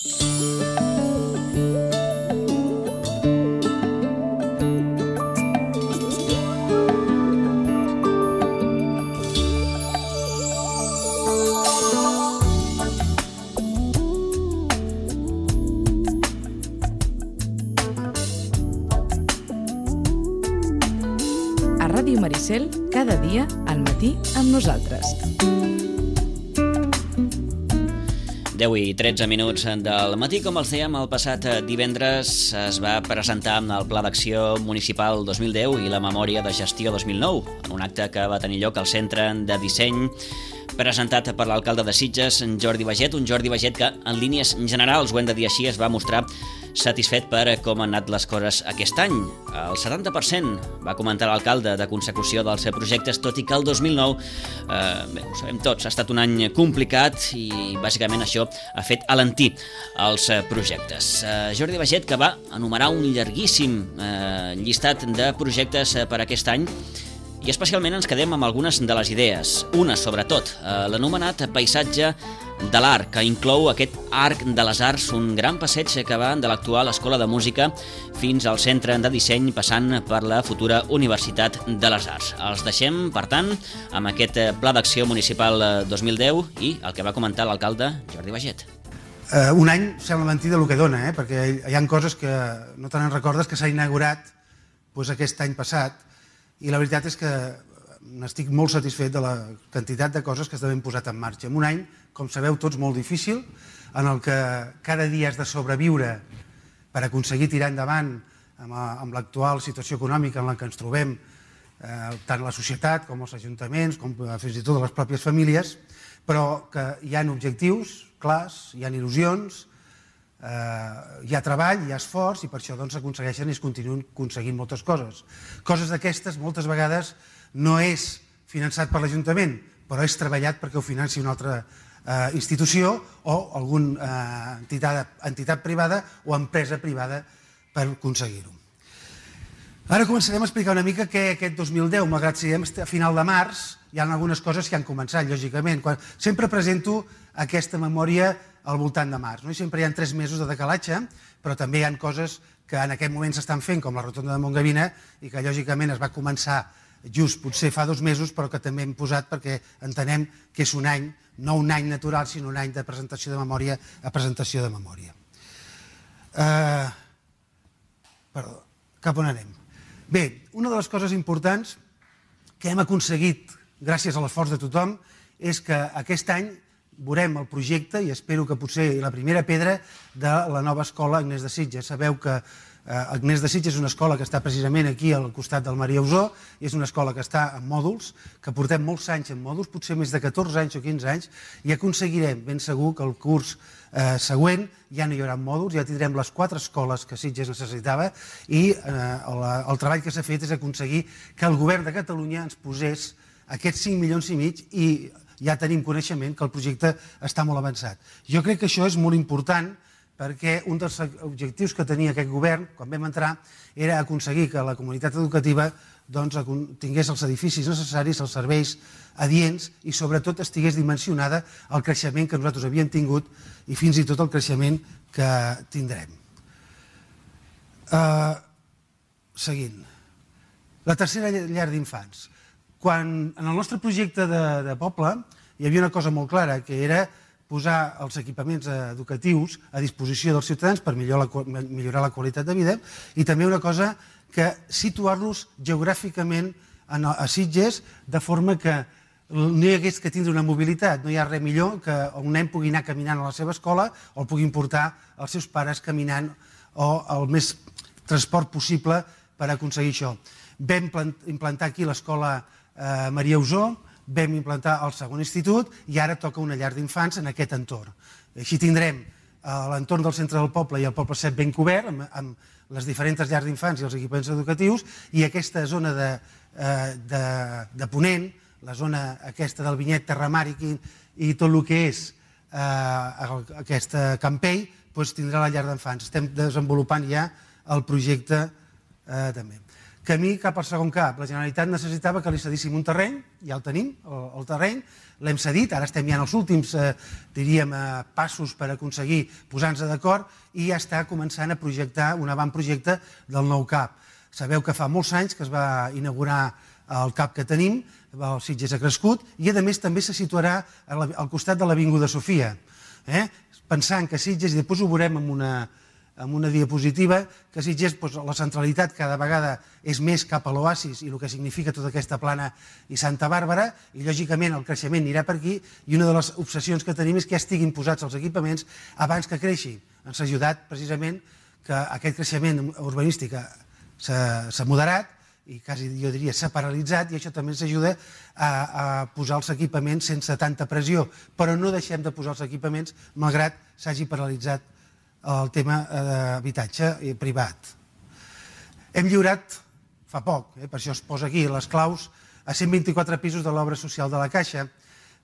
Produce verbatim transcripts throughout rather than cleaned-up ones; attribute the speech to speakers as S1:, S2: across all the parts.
S1: Ràdio Maricel, cada dia al matí amb nosaltres.
S2: deu i tretze minuts del matí. Com els dèiem, el passat divendres es va presentar el Pla d'Acció Municipal dos mil deu i la Memòria de Gestió dos mil nou, en un acte que va tenir lloc al Centre de Disseny, presentat per l'alcalde de Sitges, Jordi Baget, un Jordi Baget que, en línies generals, ho hem de dir així, es va mostrar satisfet per com han anat les coses aquest any. El setanta per cent, va comentar l'alcalde, de consecució dels projectes, tot i que el dos mil nou, eh, bé, ho sabem tots, ha estat un any complicat i bàsicament això ha fet alentir els projectes. Eh, Jordi Baget, que va enumerar un llarguíssim eh, llistat de projectes per aquest any, i especialment ens quedem amb algunes de les idees. Una, sobretot, eh, l'anomenat paisatge de l'Arc, que inclou aquest Arc de les Arts, un gran passeig que va de l'actual Escola de Música fins al Centre de Disseny, passant per la futura Universitat de les Arts. Els deixem, per tant, amb aquest Pla d'Acció Municipal dos mil deu i el que va comentar l'alcalde Jordi Baget.
S3: Uh, un any sembla mentida el que dona, eh? Perquè hi ha coses que no te n'en recordes, que s'ha inaugurat doncs, aquest any passat, i la veritat és que n'estic molt satisfet de la quantitat de coses que s'han posat en marxa. En un any, com sabeu tots, molt difícil, en el que cada dia has de sobreviure per aconseguir tirar endavant amb l'actual situació econòmica en la que ens trobem, tant la societat com els ajuntaments, com fins i tot les pròpies famílies, però que hi ha objectius clars, hi ha il·lusions, hi ha treball, hi ha esforç, i per això s'aconsegueixen i es continuen aconseguint moltes coses. Coses d'aquestes, moltes vegades, no és finançat per l'Ajuntament, però és treballat perquè ho financi una altra institució o alguna entitat privada o empresa privada per aconseguir-ho. Ara començarem a explicar una mica què aquest dos mil deu, malgrat que siguem a final de març, hi ha algunes coses que han començat, lògicament. Sempre presento aquesta memòria al voltant de març. Sempre hi ha tres mesos de decalatge, però també hi ha coses que en aquest moment s'estan fent, com la rotonda de Montgavina, i que lògicament es va començar just potser fa dos mesos, però que també hem posat perquè entenem que és un any, no un any natural, sinó un any de presentació de memòria a presentació de memòria. Perdó, cap on anem? Bé, una de les coses importants que hem aconseguit gràcies a l'esforç de tothom és que aquest any veurem el projecte, i espero que potser la primera pedra, de la nova escola Agnès de Sitges. Sabeu que Agnès de Sitges és una escola que està precisament aquí al costat del Maria Usó, i és una escola que està en mòduls, que portem molts anys en mòduls, potser més de catorze anys o quinze anys, i aconseguirem ben segur que el curs següent ja no hi haurà mòduls, ja tindrem les quatre escoles que Sitges necessitava, i el treball que s'ha fet és aconseguir que el govern de Catalunya ens posés aquests cinc milions i mig, i ja tenim coneixement que el projecte està molt avançat. Jo crec que això és molt important, perquè un dels objectius que tenia aquest govern, quan vam entrar, era aconseguir que la comunitat educativa tingués els edificis necessaris, els serveis adients, i sobretot estigués dimensionada al creixement que nosaltres havíem tingut i fins i tot el creixement que tindrem. Seguint. La tercera llar d'infants. Quan en el nostre projecte de poble hi havia una cosa molt clara, que era posar els equipaments educatius a disposició dels ciutadans per millorar la qualitat de vida, i també una cosa que situar-los geogràficament a Sitges de forma que no hi hagués que tindre una mobilitat. No hi ha res millor que un nen pugui anar caminant a la seva escola o el puguin portar els seus pares caminant, o el més transport possible per aconseguir això. Vam implantar aquí l'escola Maria Usó, vam implantar el segon institut, i ara toca una llar d'infants en aquest entorn. Així tindrem l'entorn del centre del poble i el poble sec ben cobert, amb les diferents llars d'infants i els equipaments educatius, i aquesta zona de Ponent, la zona aquesta del Vinyet, Terramar i tot el que és aquesta Campell, tindrà la llar d'infants. Estem desenvolupant ja el projecte també. Camí cap al segon cap. La Generalitat necessitava que li cedíssim un terreny, ja el tenim, el, el terreny, l'hem cedit, ara estem ja en els últims, eh, diríem, eh, passos per aconseguir posar-nos d'acord i ja està començant a projectar un avantprojecte del nou CAP. Sabeu que fa molts anys que es va inaugurar el CAP que tenim, el Sitges ha crescut, i a més també se situarà al costat de l'Avinguda Sofia. Eh? Pensant que Sitges, i després ho veurem amb una... amb una diapositiva, que Sitges, doncs, la centralitat cada vegada és més cap a l'oasis i el que significa tota aquesta plana i Santa Bàrbara, i lògicament el creixement anirà per aquí, i una de les obsessions que tenim és que ja estiguin posats els equipaments abans que creixi. Ens ha ajudat precisament que aquest creixement urbanístic s'ha moderat i quasi jo diria s'ha paralitzat, i això també ens ajuda a, a posar els equipaments sense tanta pressió, però no deixem de posar els equipaments malgrat s'hagi paralitzat el tema d'habitatge privat. Hem lliurat fa poc, eh, per això es posa aquí, les claus a cent vint-i-quatre pisos de l'obra social de la Caixa.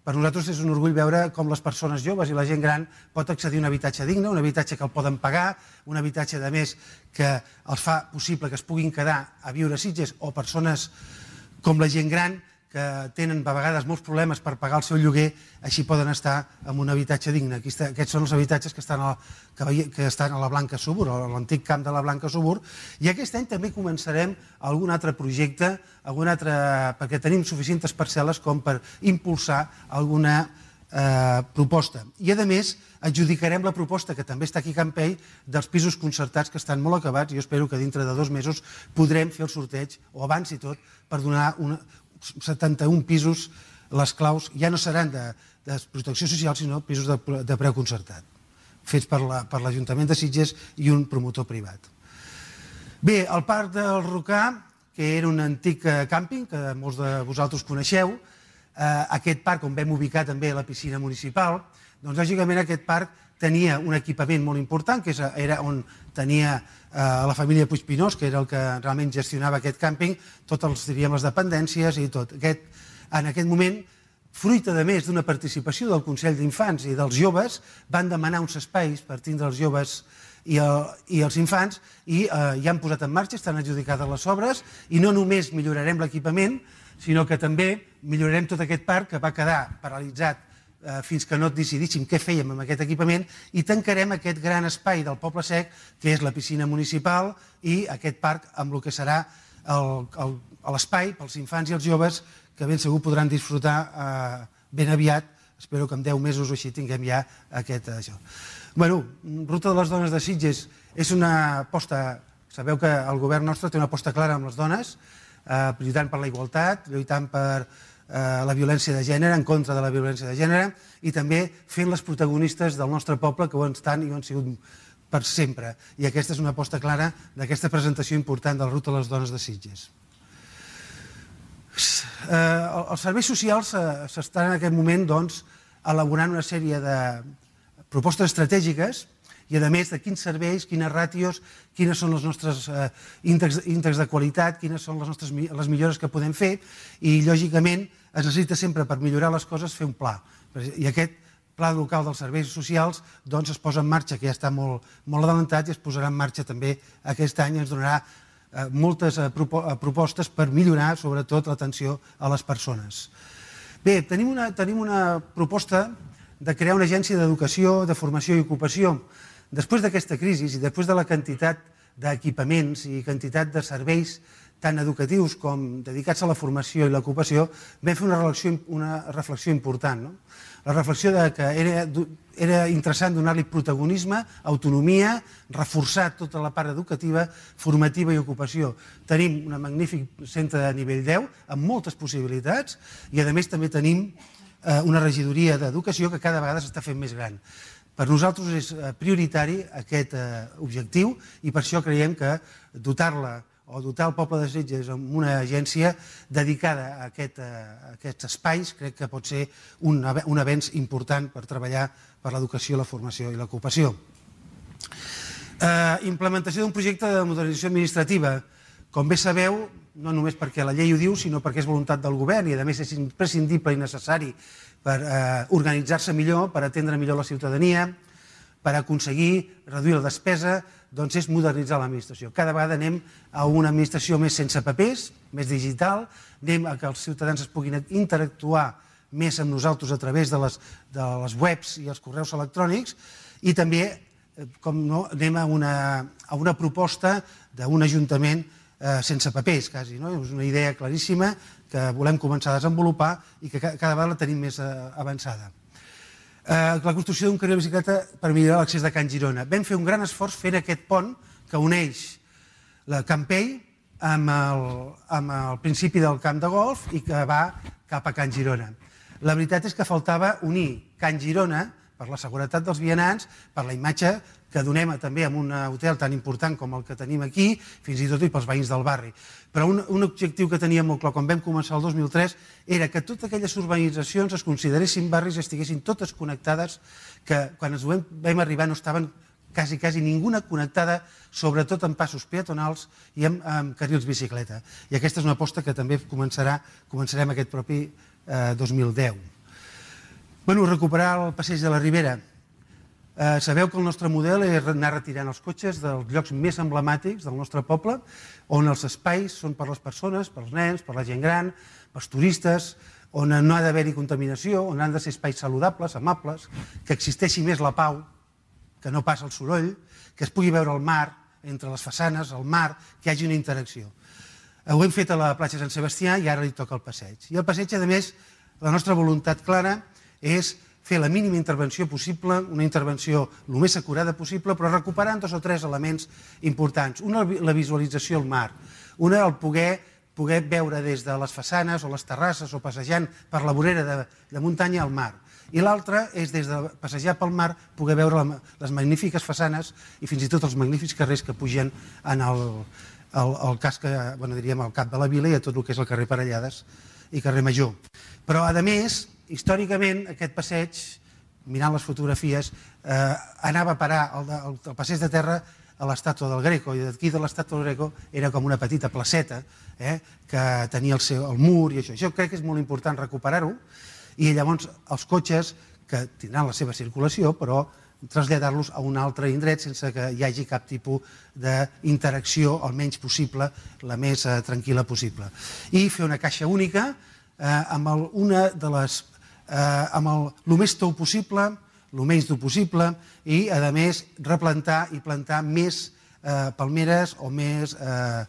S3: Per nosaltres és un orgull veure com les persones joves i la gent gran pot accedir a un habitatge digne, un habitatge que el poden pagar, un habitatge, a més, que els fa possible que es puguin quedar a viure a Sitges, o persones com la gent gran que tenen a vegades molts problemes per pagar el seu lloguer, així poden estar en un habitatge digne. Aquí està, aquests són els habitatges que estan, a, que, que estan a la Blanca Subur, a l'antic camp de la Blanca Subur, i aquest any també començarem algun altre projecte, algun altre, perquè tenim suficients parcel·les com per impulsar alguna eh, proposta. I a més, adjudicarem la proposta, que també està aquí a Campell, dels pisos concertats que estan molt acabats, i jo espero que dintre de dos mesos podrem fer el sorteig, o abans i tot, per donar una setanta-un pisos, les claus ja no seran de, de protecció social, sinó pisos de, de preu concertat, fets per l'Ajuntament de Sitges i un promotor privat. Bé, el Parc del Rocà, que era un antic càmping, que molts de vosaltres coneixeu, eh, aquest parc on vam ubicar també la piscina municipal, doncs lògicament aquest parc tenia un equipament molt important, que era on tenia eh, la família Puigpinós, que era el que realment gestionava aquest càmping, totes els, diríem, les dependències i tot. Aquest, en aquest moment, fruit a més d'una participació del Consell d'Infants i dels joves, van demanar uns espais per tindre els joves i, el, i els infants, i eh, ja han posat en marxa, estan adjudicades les obres, i no només millorarem l'equipament, sinó que també millorarem tot aquest parc que va quedar paralitzat fins que no decidíssim què fèiem amb aquest equipament, i tancarem aquest gran espai del Poble Sec, que és la piscina municipal, i aquest parc amb el que serà l'espai pels infants i els joves, que ben segur podran disfrutar eh, ben aviat. Espero que en deu mesos o així tinguem ja aquest... Això. Bueno, Ruta de les Dones de Sitges és una aposta... Sabeu que el govern nostre té una aposta clara amb les dones, eh, lluitant per la igualtat, lluitant per la violència de gènere, en contra de la violència de gènere, i també fent les protagonistes del nostre poble, que ho estan i ho han sigut per sempre. I aquesta és una aposta clara d'aquesta presentació important de la Ruta de les Dones de Sitges. Els serveis socials s'estan en aquest moment elaborant una sèrie de propostes estratègiques, i a més de quins serveis, quines ràtios, quines són els nostres índexs de qualitat, quines són les millores que podem fer, i lògicament es necessita sempre, per millorar les coses, fer un pla. I aquest pla local dels serveis socials es posa en marxa, que ja està molt adelantat, i es posarà en marxa també aquest any, ens donarà moltes propostes per millorar sobretot l'atenció a les persones. Bé, tenim una proposta de crear una agència d'educació, de formació i ocupació. Després d'aquesta crisi i després de la quantitat d'equipaments i quantitat de serveis tant educatius com dedicats a la formació i l'ocupació, vam fer una reflexió important. La reflexió que era interessant donar-li protagonisme, autonomia, reforçar tota la part educativa, formativa i ocupació. Tenim un magnífic centre de nivell deu, amb moltes possibilitats, i a més també tenim una regidoria d'educació que cada vegada s'està fent més gran. Per nosaltres és prioritari aquest objectiu, i per això creiem que dotar-la o dotar el poble de Sitges amb una agència dedicada a aquests espais crec que pot ser un avenç important per treballar per l'educació, la formació i l'ocupació. Implementació d'un projecte de modernització administrativa. Com bé sabeu, no només perquè la llei ho diu, sinó perquè és voluntat del govern i a més és imprescindible i necessari per organitzar-se millor, per atendre millor la ciutadania, per aconseguir reduir la despesa, doncs és modernitzar l'administració. Cada vegada anem a una administració més sense papers, més digital, anem a que els ciutadans es puguin interactuar més amb nosaltres a través de les, de les webs i els correus electrònics, i també, com no, anem a una, a una proposta d'un ajuntament eh, sense papers, quasi. No? És una idea claríssima que volem començar a desenvolupar i que cada vegada la tenim més eh, avançada. La construcció d'un carril de bicicleta per millorar l'accés de Can Girona. Vam fer un gran esforç fent aquest pont que uneix la Campell amb el, amb el principi del camp de golf i que va cap a Can Girona. La veritat és que faltava unir Can Girona per la seguretat dels vianants, per la imatge que donem també en un hotel tan important com el que tenim aquí, fins i tot i pels veïns del barri. Però un, un objectiu que teníem molt clar quan vam començar el dos mil tres era que totes aquelles urbanitzacions es consideressin barris i estiguessin totes connectades, que quan ens vam, vam arribar no estaven quasi, quasi ninguna connectada, sobretot en passos peatonals i amb, amb carrils bicicleta. I aquesta és una aposta que també començarà, començarem aquest propi eh, dos mil deu. Bueno, recuperar el passeig de la Ribera. Eh, sabeu que el nostre model és anar retirant els cotxes dels llocs més emblemàtics del nostre poble, on els espais són per les persones, pels nens, per la gent gran, pels turistes, on no ha d'haver-hi contaminació, on han de ser espais saludables, amables, que existeixi més la pau, que no passa el soroll, que es pugui veure el mar entre les façanes, el mar, que hi hagi una interacció. Ho hem fet a la platja Sant Sebastià i ara li toca el passeig. I el passeig, a més, la nostra voluntat clara és fer la mínima intervenció possible, una intervenció el més acurada possible, però recuperant dos o tres elements importants. Una, la visualització al mar. Una, el poder, poder veure des de les façanes o les terrasses o passejant per la vorera de, de muntanya al mar. I l'altra és, des de passejar pel mar, poder veure la, les magnífiques façanes i fins i tot els magnífics carrers que pugen en el, el, el casc, bueno, diríem, al cap de la vila i a tot el que és el carrer Parellades i carrer Major. Però, a més, històricament, aquest passeig, mirant les fotografies, eh, anava a parar el, el, el passeig de terra a l'estàtua del Greco, i d'aquí de l'estàtua del Greco era com una petita placeta eh, que tenia el, seu, el mur i això. Això crec que és molt important recuperar-ho, i llavors els cotxes, que tindran la seva circulació, però traslladar-los a un altre indret sense que hi hagi cap tipus d'interacció, el menys possible, la més eh, tranquil·la possible. I fer una caixa única eh, amb el, una de les Eh, amb el, el més tou possible, el menys dur possible, i, a més, replantar i plantar més eh, palmeres o més eh,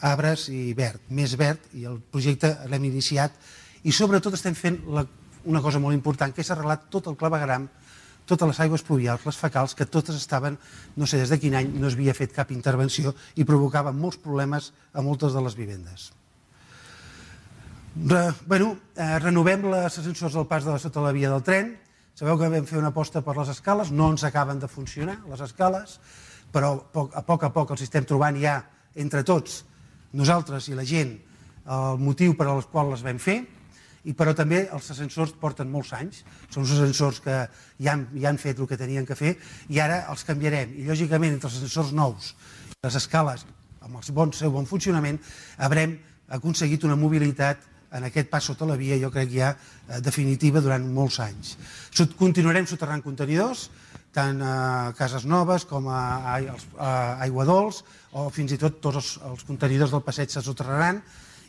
S3: arbres i verd, més verd, i el projecte l'hem iniciat. I, sobretot, estem fent la, una cosa molt important, que és arreglar tot el clavegueram, totes les aigües pluvials, les fecals, que totes estaven, no sé des de quin any, no s'havia fet cap intervenció i provocaven molts problemes a moltes de les vivendes. Re, bueno, eh, renovem les ascensors del pas de la sota la via del tren. Sabeu que vam fer una aposta per les escales, no ens acaben de funcionar les escales, però a poc a poc els estem trobant ja entre tots, nosaltres i la gent, el motiu per al qual les vam fer, i però també els ascensors porten molts anys, són uns ascensors que ja han, ja han fet el que tenien que fer i ara els canviarem, i lògicament entre els ascensors nous i les escales amb el bon, seu bon funcionament haurem aconseguit una mobilitat en aquest pas sota la via, jo crec ja eh, definitiva durant molts anys. Continuarem soterrant contenidors, tant a Cases Noves com a, a, a Aiguadols, o fins i tot tots els, els contenidors del passeig se soterraran,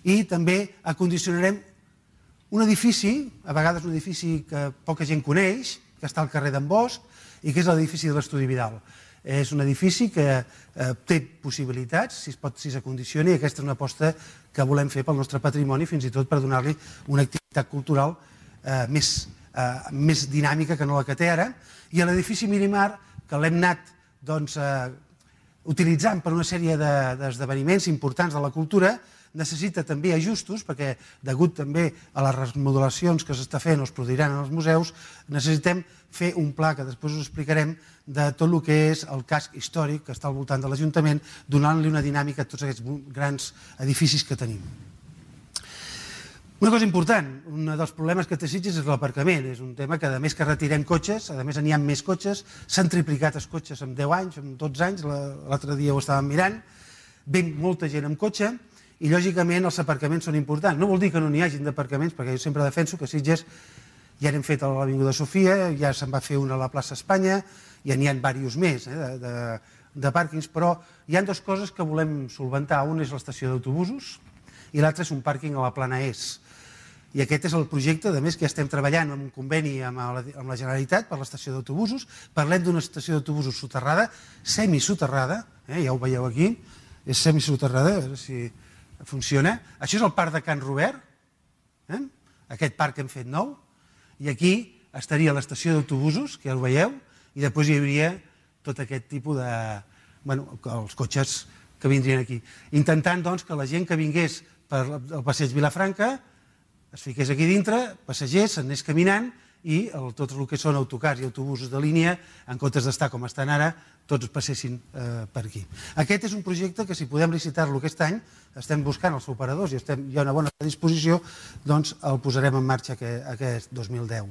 S3: i també acondicionarem un edifici, a vegades un edifici que poca gent coneix, que està al carrer d'en Bosch, i que és l'edifici de l'Estudi Vidal. És un edifici que eh, té possibilitats, si es pot, si s'acondiciona, i aquesta és una aposta que volem fer pel nostre patrimoni, fins i tot per donar-li una activitat cultural eh, més, eh, més dinàmica que no la que té ara. I l'edifici Mirimar, que l'hem anat doncs, eh, utilitzant per una sèrie d'esdeveniments importants de la cultura, necessita també ajustos, perquè degut també a les remodelacions que s'està fent o es produiran en els museus, necessitem fer un pla, que després us explicarem, de tot el que és el casc històric que està al voltant de l'Ajuntament, donant-li una dinàmica a tots aquests grans edificis que tenim. Una cosa important, un dels problemes que té Sitges és l'aparcament. És un tema que, a més que retirem cotxes, a més n'hi ha més cotxes, s'han triplicat els cotxes en deu anys, en dotze anys, l'altre dia ho estàvem mirant, ve molta gent amb cotxe, i lògicament els aparcaments són importants. No vol dir que no n'hi hagin d'aparcaments, perquè jo sempre defenso que Sitges Ja n'hem fet a l'Avinguda Sofia, ja se'n va fer una a la plaça Espanya, ja n'hi ha diversos més eh, de, de, de pàrquings, però hi ha dues coses que volem solventar. Un és l'estació d'autobusos i l'altre és un pàrquing a la Plana Est. I aquest és el projecte, a més, que ja estem treballant en un conveni amb la, amb la Generalitat per l'estació d'autobusos. Parlem d'una estació d'autobusos soterrada, semisoterrada, eh, ja ho veieu aquí, és semisoterrada, a veure si funciona. Això és el parc de Can Robert, eh? Aquest parc que hem fet nou, i aquí estaria l'estació d'autobusos, que ja ho veieu, i després hi hauria tot aquest tipus de... bueno, els cotxes que vindrien aquí. Intentant, doncs, que la gent que vingués per el passeig Vilafranca es fiqués aquí dintre, passegers, s'anés caminant i el, tot el que són autocars i autobusos de línia, en comptes d'estar com estan ara, tots passessin eh, per aquí. Aquest és un projecte que si podem licitar-lo aquest any, estem buscant els operadors i estem, hi ha una bona disposició, doncs el posarem en marxa aquest, aquest dos mil deu.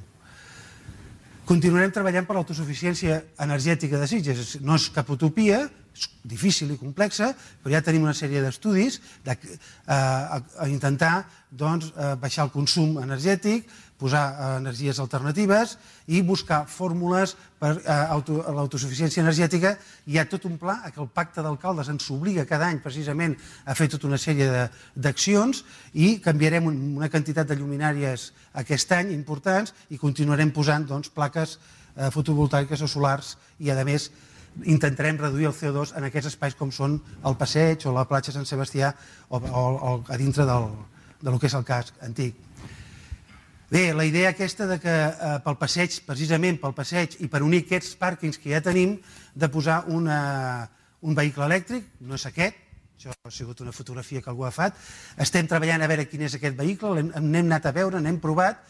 S3: Continuarem treballant per l'autosuficiència energètica de Sitges. No és cap utopia, és difícil i complexa, però ja tenim una sèrie d'estudis de, eh, a, a intentar doncs, eh, baixar el consum energètic, posar eh, energies alternatives i buscar fórmules per eh, auto, l'autosuficiència energètica. Hi ha tot un pla que el Pacte d'Alcaldes ens obliga cada any precisament a fer tota una sèrie d'accions i canviarem una quantitat de lluminàries aquest any importants i continuarem posant doncs, plaques eh, fotovoltaiques o solars i a més intentarem reduir el C O dos en aquests espais com són el passeig o la platja Sant Sebastià o, o, o a dintre del, del que és el casc antic. Bé, la idea aquesta de que eh, pel passeig, precisament pel passeig i per unir aquests pàrquings que ja tenim, de posar una, un vehicle elèctric, no és aquest, això ha sigut una fotografia que algú ha fet, estem treballant a veure quin és aquest vehicle, n'hem anat a veure, n'hem provat,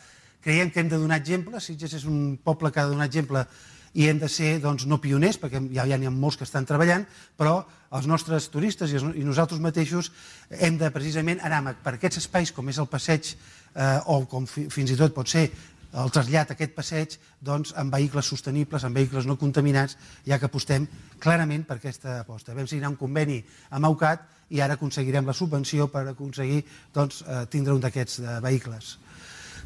S3: creiem que hem de donar exemple, Sitges és un poble que ha de donar exemple i hem de ser doncs, no pioners, perquè ja, ja n'hi ha molts que estan treballant, però els nostres turistes i, i nosaltres mateixos hem de precisament anar per aquests espais com és el passeig eh, o com fi, fins i tot pot ser el trasllat a aquest passeig doncs, amb vehicles sostenibles, amb vehicles no contaminats, ja que apostem clarament per aquesta aposta. Vam signar un conveni amb AUCAT i ara aconseguirem la subvenció per aconseguir doncs, eh, tindre un d'aquests eh, vehicles.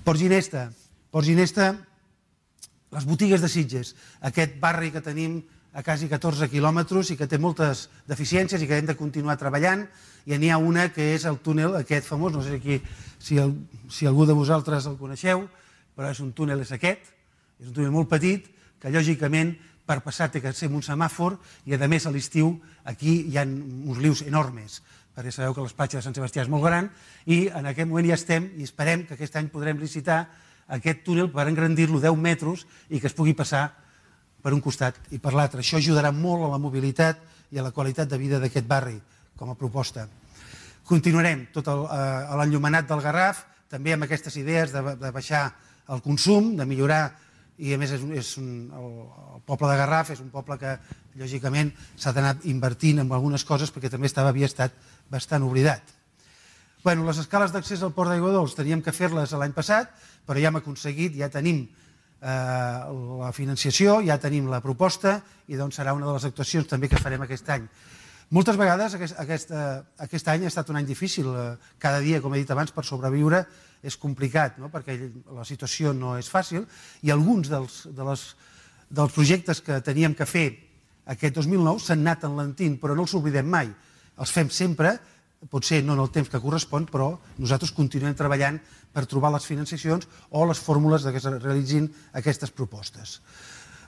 S3: Port Ginesta. Port Ginesta, les botigues de Sitges, aquest barri que tenim a quasi catorze quilòmetres i que té moltes deficiències i que hem de continuar treballant, i n'hi ha una que és el túnel aquest famós, no sé aquí, si, el, si algú de vosaltres el coneixeu, però és un túnel, és aquest, és un túnel molt petit, que lògicament per passar té que ser un semàfor i a més a l'estiu aquí hi ha uns rius enormes, perquè sabeu que l'espatge de Sant Sebastià és molt gran i en aquest moment ja estem i esperem que aquest any podrem licitar aquest túnel per engrandir-lo deu metres i que es pugui passar per un costat i per l'altre. Això ajudarà molt a la mobilitat i a la qualitat de vida d'aquest barri, com a proposta. Continuarem tot l'enllumenat del Garraf, també amb aquestes idees de, de baixar el consum, de millorar, i a més és, és un, el, el poble de Garraf és un poble que lògicament s'ha d'anar invertint en algunes coses perquè també estava, havia estat bastant oblidat. Bueno, les escales d'accés al Port d'Aigua Dols teníem que fer-les l'any passat, però ja hem aconseguit, ja tenim eh, la financiació, ja tenim la proposta i doncs serà una de les actuacions també que farem aquest any. Moltes vegades aquest, aquest, eh, aquest any ha estat un any difícil, cada dia, com he dit abans, per sobreviure és complicat, no? Perquè la situació no és fàcil i alguns dels, de les, dels projectes que teníem que fer aquest dos mil nou s'han anat enlentint, però no els oblidem mai, els fem sempre, potser no en el temps que correspon, però nosaltres continuem treballant per trobar les financiacions o les fórmules que es realitzin aquestes propostes.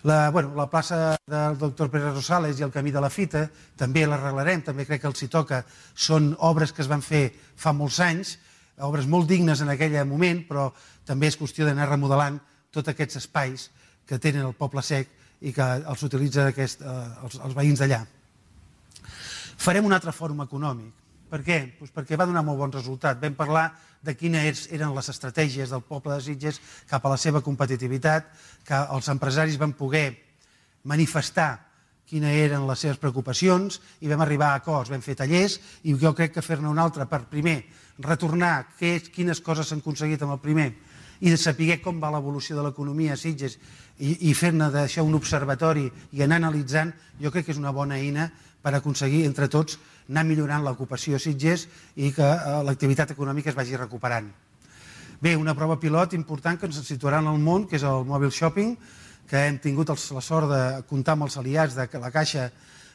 S3: La, bueno, la plaça del doctor Pere Rosales i el camí de la Fita també l'arreglarem, també crec que els hi toca. Són obres que es van fer fa molts anys, obres molt dignes en aquell moment, però també és qüestió d'anar remodelant tots aquests espais que tenen el poble sec i que els utilitza aquest, eh, els, els veïns d'allà. Farem un altre fòrum econòmic. Per què? Pues perquè va donar molt bon resultat. Vam parlar de quines eren les estratègies del poble de Sitges cap a la seva competitivitat, que els empresaris van poder manifestar quines eren les seves preocupacions i vam arribar a acords, vam fer tallers i jo crec que fer-ne un altre per primer retornar què, quines coses s'han aconseguit amb el primer i de saber com va l'evolució de l'economia a Sitges i, i fer-ne d'això un observatori i anar analitzant, jo crec que és una bona eina per aconseguir entre tots anar millorant l'ocupació a Sitges i que l'activitat econòmica es vagi recuperant. Bé, una prova pilot important que ens situarà en el món, que és el mobile shopping, que hem tingut la sort de comptar amb els aliats de la Caixa,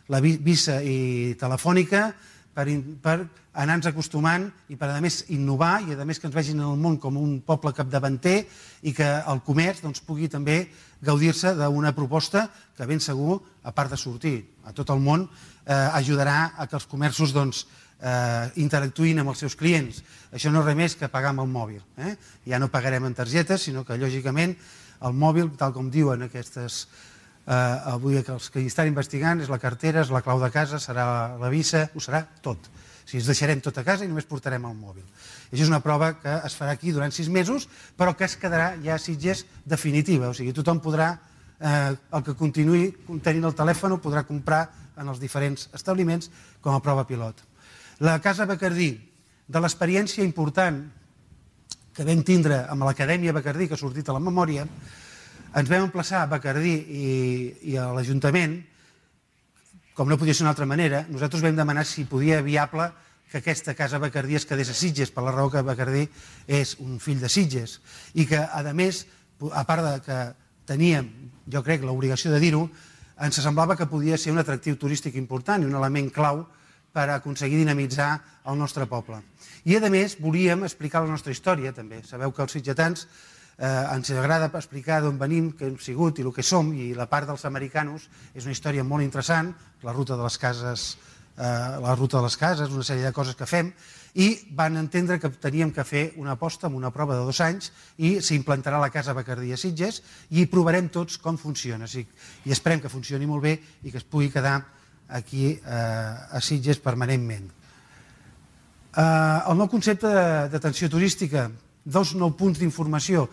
S3: la Visa i Telefònica, per, per anar-nos acostumant i per, a més, innovar i, a més, que ens vegin en el món com un poble capdavanter i que el comerç doncs, pugui també gaudir-se d'una proposta que ben segur, a part de sortir a tot el món, eh, ajudarà a que els comerços doncs, eh, interactuïn amb els seus clients. Això no és res més que pagar amb el mòbil. Eh? Ja no pagarem en targetes, sinó que, lògicament, el mòbil, tal com diuen aquestes... Uh, avui els que hi estan investigant és la cartera, és la clau de casa, serà la Visa, ho serà tot. O sigui, ens deixarem tot a casa i només portarem el mòbil. I això és una prova que es farà aquí durant sis mesos, però que es quedarà ja a Sitges definitiva. O sigui, tothom podrà, eh, el que continuï tenint el telèfon, podrà comprar en els diferents establiments com a prova pilot. La Casa Bacardí, de l'experiència important que vam tindre amb l'Acadèmia Bacardí, que ha sortit a la memòria, ens vam emplaçar a Bacardí i, i a l'Ajuntament, com no podia ser d'una altra manera, nosaltres vam demanar si podia viable que aquesta Casa Bacardí es quedés a Sitges, per la raó que Bacardí és un fill de Sitges, i que, a més, a part de que teníem, jo crec, l'obligació de dir-ho, ens semblava que podia ser un atractiu turístic important i un element clau per aconseguir dinamitzar el nostre poble. I, a més, volíem explicar la nostra història, també. Sabeu que els sitgetans Eh, ens agrada explicar d'on venim, què hem sigut i el que som, i la part dels americanos és una història molt interessant, la ruta de les cases, eh, la ruta de les cases, una sèrie de coses que fem, i van entendre que teníem que fer una aposta amb una prova de dos anys i s'implantarà la Casa Bacardí a Sitges i provarem tots com funciona. I esperem que funcioni molt bé i que es pugui quedar aquí a Sitges permanentment. El nou concepte d'atenció turística, dos nous punts d'informació.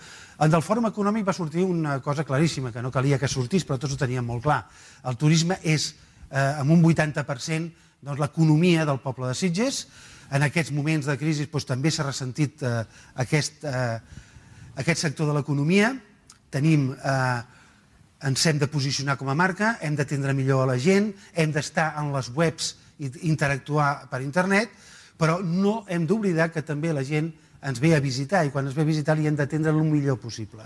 S3: Del Fòrum Econòmic va sortir una cosa claríssima, que no calia que sortís, però tots ho teníem molt clar. El turisme és, amb un vuitanta per cent, l'economia del poble de Sitges. En aquests moments de crisi també s'ha ressentit aquest sector de l'economia. Tenim, ens hem de posicionar com a marca, hem d'atendre millor a la gent, hem d'estar en les webs i interactuar per internet, però no hem d'oblidar que també la gent ens ve a visitar i quan ens ve a visitar li hem d'atendre el millor possible.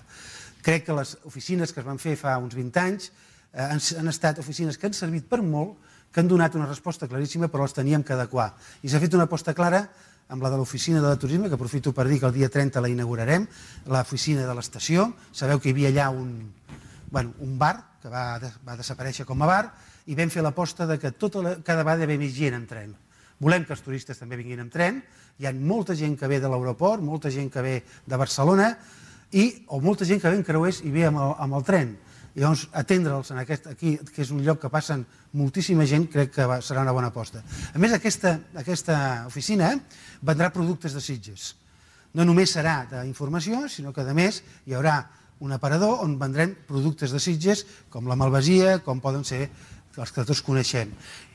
S3: Crec que les oficines que es van fer fa uns vint anys han estat oficines que han servit per molt, que han donat una resposta claríssima, però les teníem que adequar. I s'ha fet una aposta clara amb la de l'oficina de turisme, que aprofito per dir que el dia trenta la inaugurarem, l'oficina de l'estació. Sabeu que hi havia allà un, bueno, un bar, que va, va desaparèixer com a bar, i vam fer l'aposta que tota la, cada vegada hi havia més gent en tren. Volem que els turistes també vinguin en tren, hi ha molta gent que ve de l'aeroport, molta gent que ve de Barcelona, i, o molta gent que ve en creuers i ve amb el, amb el tren. I llavors atendre'ls aquí, que és un lloc que passen moltíssima gent, crec que va, serà una bona aposta. A més, aquesta, aquesta oficina vendrà productes de Sitges. No només serà d'informació, sinó que a més hi haurà un aparador on vendrem productes de Sitges, com la malvasia, com poden ser els que tots coneixem.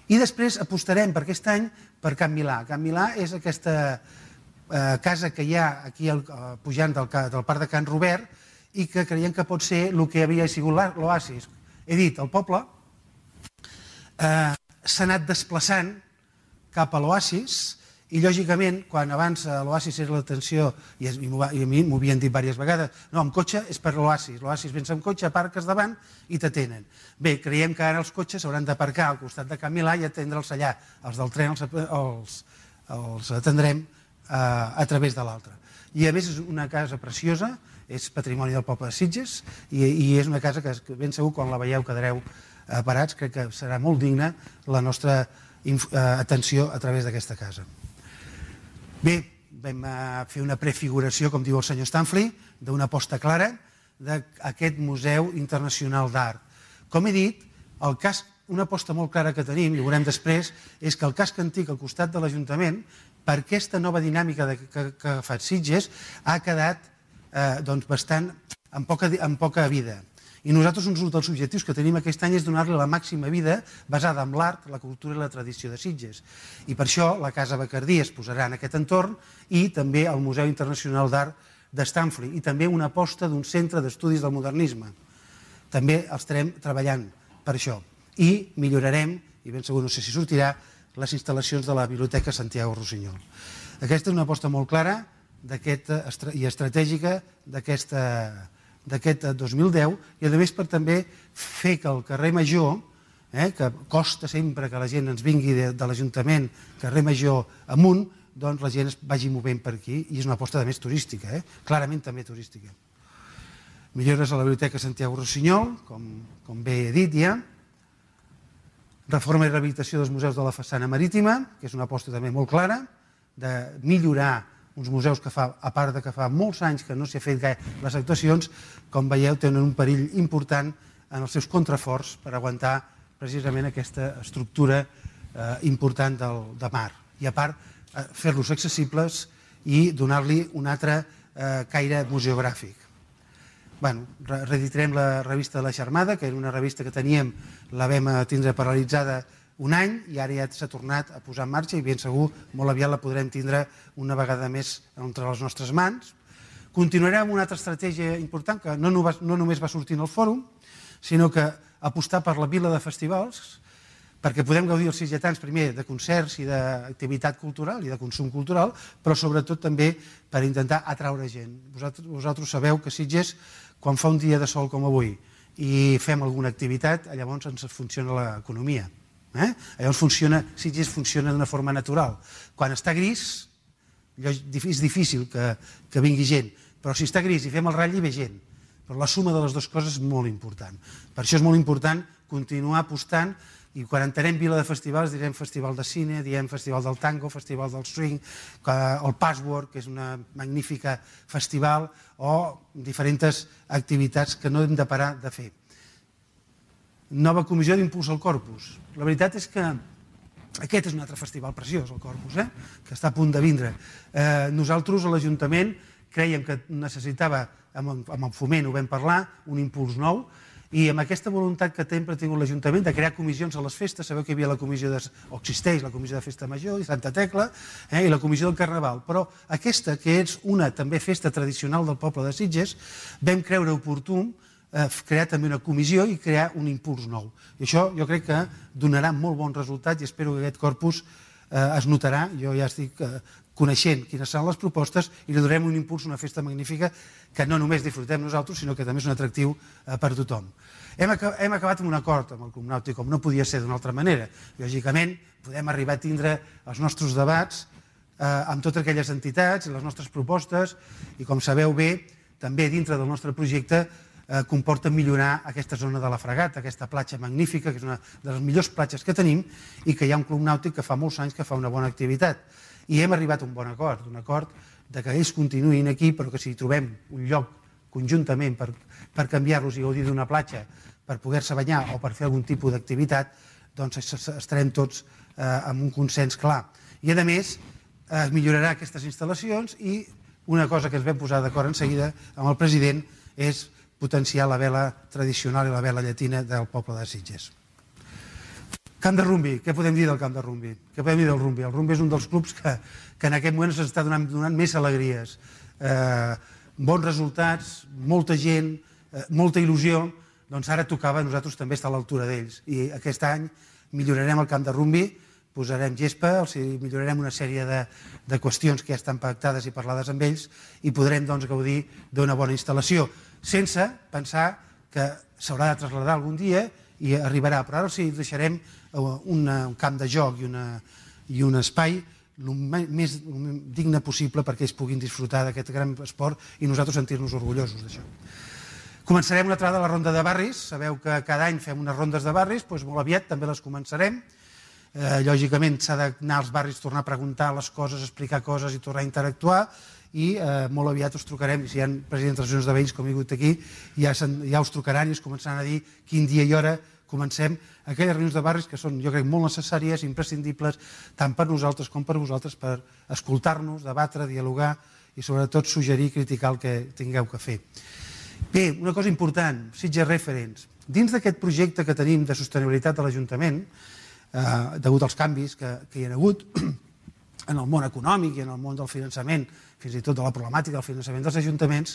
S3: I després apostarem per aquest any per Can Milà. Can Milà és aquesta eh, casa que hi ha aquí al, eh, pujant del, del parc de Can Robert i que creiem que pot ser el que havia sigut l'oasis. He dit, el poble eh, s'ha anat desplaçant cap a l'oasis i, lògicament, quan abans l'oasis era l'atenció, i, i a mi m'ho havien dit diverses vegades, no, amb cotxe és per l'oasis, l'oasis vens amb cotxe, aparques davant i t'atenen. Bé, creiem que ara els cotxes s'hauran d'aparcar al costat de Can Milà i atendre'ls allà. Els del tren els, els, els atendrem eh, a través de l'altre. I a més és una casa preciosa, és patrimoni del poble de Sitges i, i és una casa que ben segur quan la veieu quedareu eh, parats, crec que serà molt digna la nostra eh, atenció a través d'aquesta casa. Bé, vam fer una prefiguració, com diu el senyor Stanfli, d'una aposta clara d'aquest Museu Internacional d'Art. Com he dit, el casc, una aposta molt clara que tenim, i ho veurem després, és que el casc antic al costat de l'Ajuntament, per aquesta nova dinàmica que ha agafat Sitges, ha quedat eh, doncs bastant amb poca, amb poca vida. I nosaltres un dels objectius que tenim aquest any és donar-li la màxima vida basada en l'art, la cultura i la tradició de Sitges. I per això la Casa Bacardí es posarà en aquest entorn i també el Museu Internacional d'Art de Stanfli i també una aposta d'un centre d'estudis del modernisme. També estarem treballant per això. I millorarem, i ben segur no sé si sortirà, les instal·lacions de la Biblioteca Santiago Rossinyol. Aquesta és una aposta molt clara i estratègica d'aquest dos mil deu i, a més, per també fer que el carrer Major, que costa sempre que la gent ens vingui de l'Ajuntament, carrer Major amunt, doncs la gent es vagi movent per aquí i és una aposta, a més, turística, clarament també turística. Millores a la Biblioteca Santiago Rossinyol, com bé he dit ja, reforma i rehabilitació dels museus de la façana marítima, que és una aposta també molt clara, de millorar uns museus que fa, a part de que fa molts anys que no s'hi ha fet gaire les actuacions, com veieu, tenen un perill important en els seus contraforts per aguantar precisament aquesta estructura important de mar. I a part, fer-los accessibles i donar-li un altre caire museogràfic. Reeditarem la revista La Xarmada, que era una revista que teníem, la vam tindre paralitzada un any i ara ja s'ha tornat a posar en marxa i ben segur molt aviat la podrem tindre una vegada més entre les nostres mans. Continuarem amb una altra estratègia important que no només va sortir en el fòrum, sinó que apostar per la vila de festivals, perquè podem gaudir els sitgetans primer de concerts i d'activitat cultural i de consum cultural, però sobretot també per intentar atraure gent. Vosaltres sabeu que Sitges, quan fa un dia de sol com avui i fem alguna activitat, llavors ens funciona l'economia. Llavors Sitges funciona d'una forma natural. Quan està gris és difícil que vingui gent, però si està gris i fem el ratll hi ve gent. Però la suma de les dues coses és molt important. Per això és molt important continuar apostant i quan entenem vila de festivals direm festival de cine, diem festival del tango, festival del swing, el Password, que és una magnífica festival, o diferents activitats que no hem de parar de fer. Nova comissió d'impuls al Corpus. La veritat és que aquest és un altre festival preciós, el Corpus, que està a punt de vindre. Nosaltres, a l'Ajuntament, crèiem que necessitava, amb el foment ho vam parlar, un impuls nou, i amb aquesta voluntat que sempre ha tingut l'Ajuntament de crear comissions a les festes, sabeu que hi havia la comissió, o existeix la comissió de Festa Major i Santa Tecla, i la comissió del Carnaval, però aquesta, que és una també festa tradicional del poble de Sitges, vam creure oportú crear també una comissió i crear un impuls nou. I això jo crec que donarà molt bon resultat i espero que aquest corpus es notarà. Jo ja estic coneixent quines són les propostes i li donarem un impuls a una festa magnífica que no només disfrutem nosaltres, sinó que també és un atractiu per a tothom. Hem acabat amb un acord amb el Club Nàutic, com no podia ser d'una altra manera. Lògicament, podem arribar a tindre els nostres debats amb totes aquelles entitats i les nostres propostes i, com sabeu bé, també dintre del nostre projecte comporta millorar aquesta zona de la Fragata, aquesta platja magnífica, que és una de les millors platges que tenim i que hi ha un club nàutic que fa molts anys que fa una bona activitat. I hem arribat a un bon acord, un acord que ells continuïn aquí, però que si trobem un lloc conjuntament per canviar-los i gaudir d'una platja, per poder-se banyar o per fer algun tipus d'activitat, doncs estarem tots amb un consens clar. I, a més, es millorarà aquestes instal·lacions i una cosa que ens vam posar d'acord en seguida amb el president és potenciar la vela tradicional i la vela llatina del poble de Sitges. Camp de Rumbi, què podem dir del Camp de Rumbi? Què podem dir del Rumbi? El Rumbi és un dels clubs que en aquest moment s'està donant més alegries. Bons resultats, molta gent, molta il·lusió, doncs ara tocava a nosaltres també estar a l'altura d'ells. I aquest any millorarem el Camp de Rumbi, posarem gespa, millorarem una sèrie de qüestions que ja estan pactades i parlades amb ells i podrem gaudir d'una bona instal·lació, sense pensar que s'haurà de traslladar algun dia i arribarà, però ara sí deixarem un camp de joc i un espai el més digne possible perquè ells puguin disfrutar d'aquest gran esport i nosaltres sentir-nos orgullosos d'això. Començarem una altra de la ronda de barris, sabeu que cada any fem unes rondes de barris, doncs molt aviat també les començarem. Lògicament s'ha d'anar als barris, tornar a preguntar les coses, explicar coses i tornar a interactuar i molt aviat us trucarem, si hi ha presidents d'associacions de veïns com hi ha hagut aquí, ja us trucaran i us començaran a dir quin dia i hora comencem aquelles reunions de barris que són, jo crec, molt necessàries, imprescindibles, tant per nosaltres com per vosaltres, per escoltar-nos, debatre, dialogar i sobretot suggerir i criticar el que tingueu que fer. Bé, una cosa important, Sitges Referents. Dins d'aquest projecte que tenim de sostenibilitat de l'Ajuntament, degut als canvis que hi ha hagut en el món econòmic i en el món del finançament, fins i tot de la problemàtica del finançament dels ajuntaments,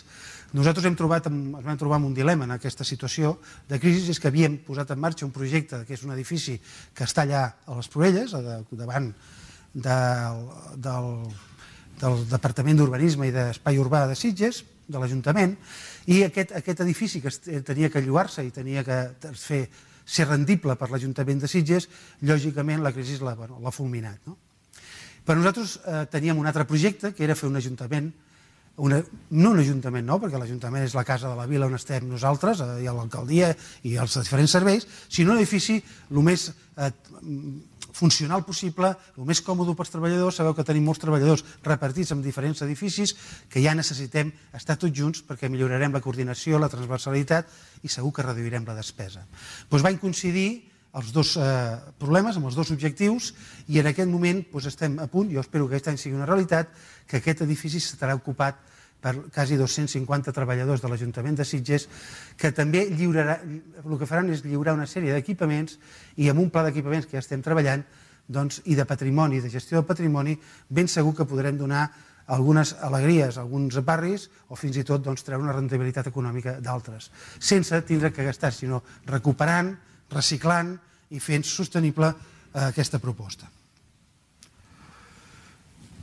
S3: nosaltres hem trobat, ens vam trobar amb un dilema en aquesta situació de crisi, és que havíem posat en marxa un projecte que és un edifici que està allà a les Proelles, davant del Departament d'Urbanisme i d'Espai Urbà de Sitges, de l'Ajuntament, i aquest, aquest edifici que tenia que llogar-se i tenia que fer, ser rendible per l'Ajuntament de Sitges, lògicament la crisi l'ha bueno, fulminat. No? Però nosaltres eh, teníem un altre projecte, que era fer un ajuntament, una, no un ajuntament nou, perquè l'Ajuntament és la casa de la vila on estem nosaltres, eh, i l'alcaldia i els diferents serveis, sinó un edifici el més eh, funcional possible, el més còmode pels treballadors. Sabeu que tenim molts treballadors repartits en diferents edificis que ja necessitem estar tots junts perquè millorarem la coordinació, la transversalitat i segur que reduirem la despesa. Doncs van coincidir els dos eh, problemes, amb els dos objectius, i en aquest moment doncs, estem a punt, jo espero que aquest any sigui una realitat, que aquest edifici estarà ocupat per quasi dos-cents cinquanta treballadors de l'Ajuntament de Sitges, que també lliurarà, el que faran és lliurar una sèrie d'equipaments, i amb un pla d'equipaments que ja estem treballant, doncs, i de patrimoni, de gestió del patrimoni, ben segur que podrem donar algunes alegries a alguns barris o fins i tot doncs, treure una rendibilitat econòmica d'altres, sense tindre que gastar, sinó recuperant, reciclant i fent sostenible eh, aquesta proposta.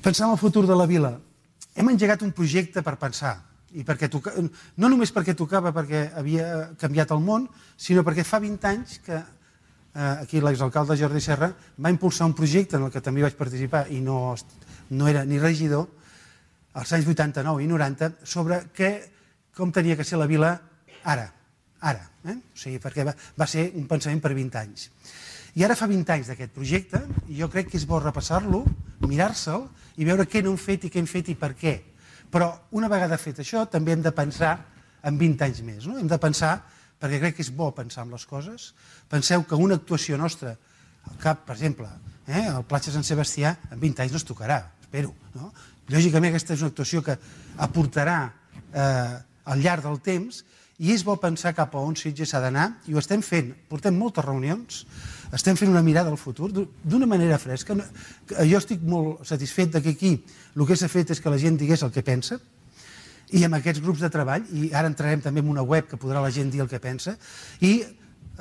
S3: Pensar en el futur de la vila. Hem engegat un projecte per pensar, i perquè toca... no només perquè tocava perquè havia canviat el món, sinó perquè fa vint anys que eh, aquí l'exalcalde Jordi Serra va impulsar un projecte en el que també vaig participar i no, no era ni regidor, als anys vuitanta-nou i noranta, sobre què, com tenia que ser la vila ara, ara, eh? O sigui, perquè va, va ser un pensament per vint anys. I ara fa vint anys d'aquest projecte, i jo crec que és bo repassar-lo, mirar-se'l i veure què no hem fet i què hem fet i per què. Però una vegada fet això també hem de pensar en vint anys més. No? Hem de pensar, perquè crec que és bo pensar en les coses. Penseu que una actuació nostra, al cap, per exemple, eh, al Platja Sant Sebastià, en vint anys no es tocarà, espero. No? Lògicament aquesta és una actuació que aportarà eh, al llarg del temps, i és bo pensar cap a on Sitges s'ha d'anar, i ho estem fent. Portem moltes reunions, estem fent una mirada al futur d'una manera fresca. Jo estic molt satisfet que aquí el que s'ha fet és que la gent digués el que pensa, i amb aquests grups de treball, i ara entrarem també en una web que podrà la gent dir el que pensa, i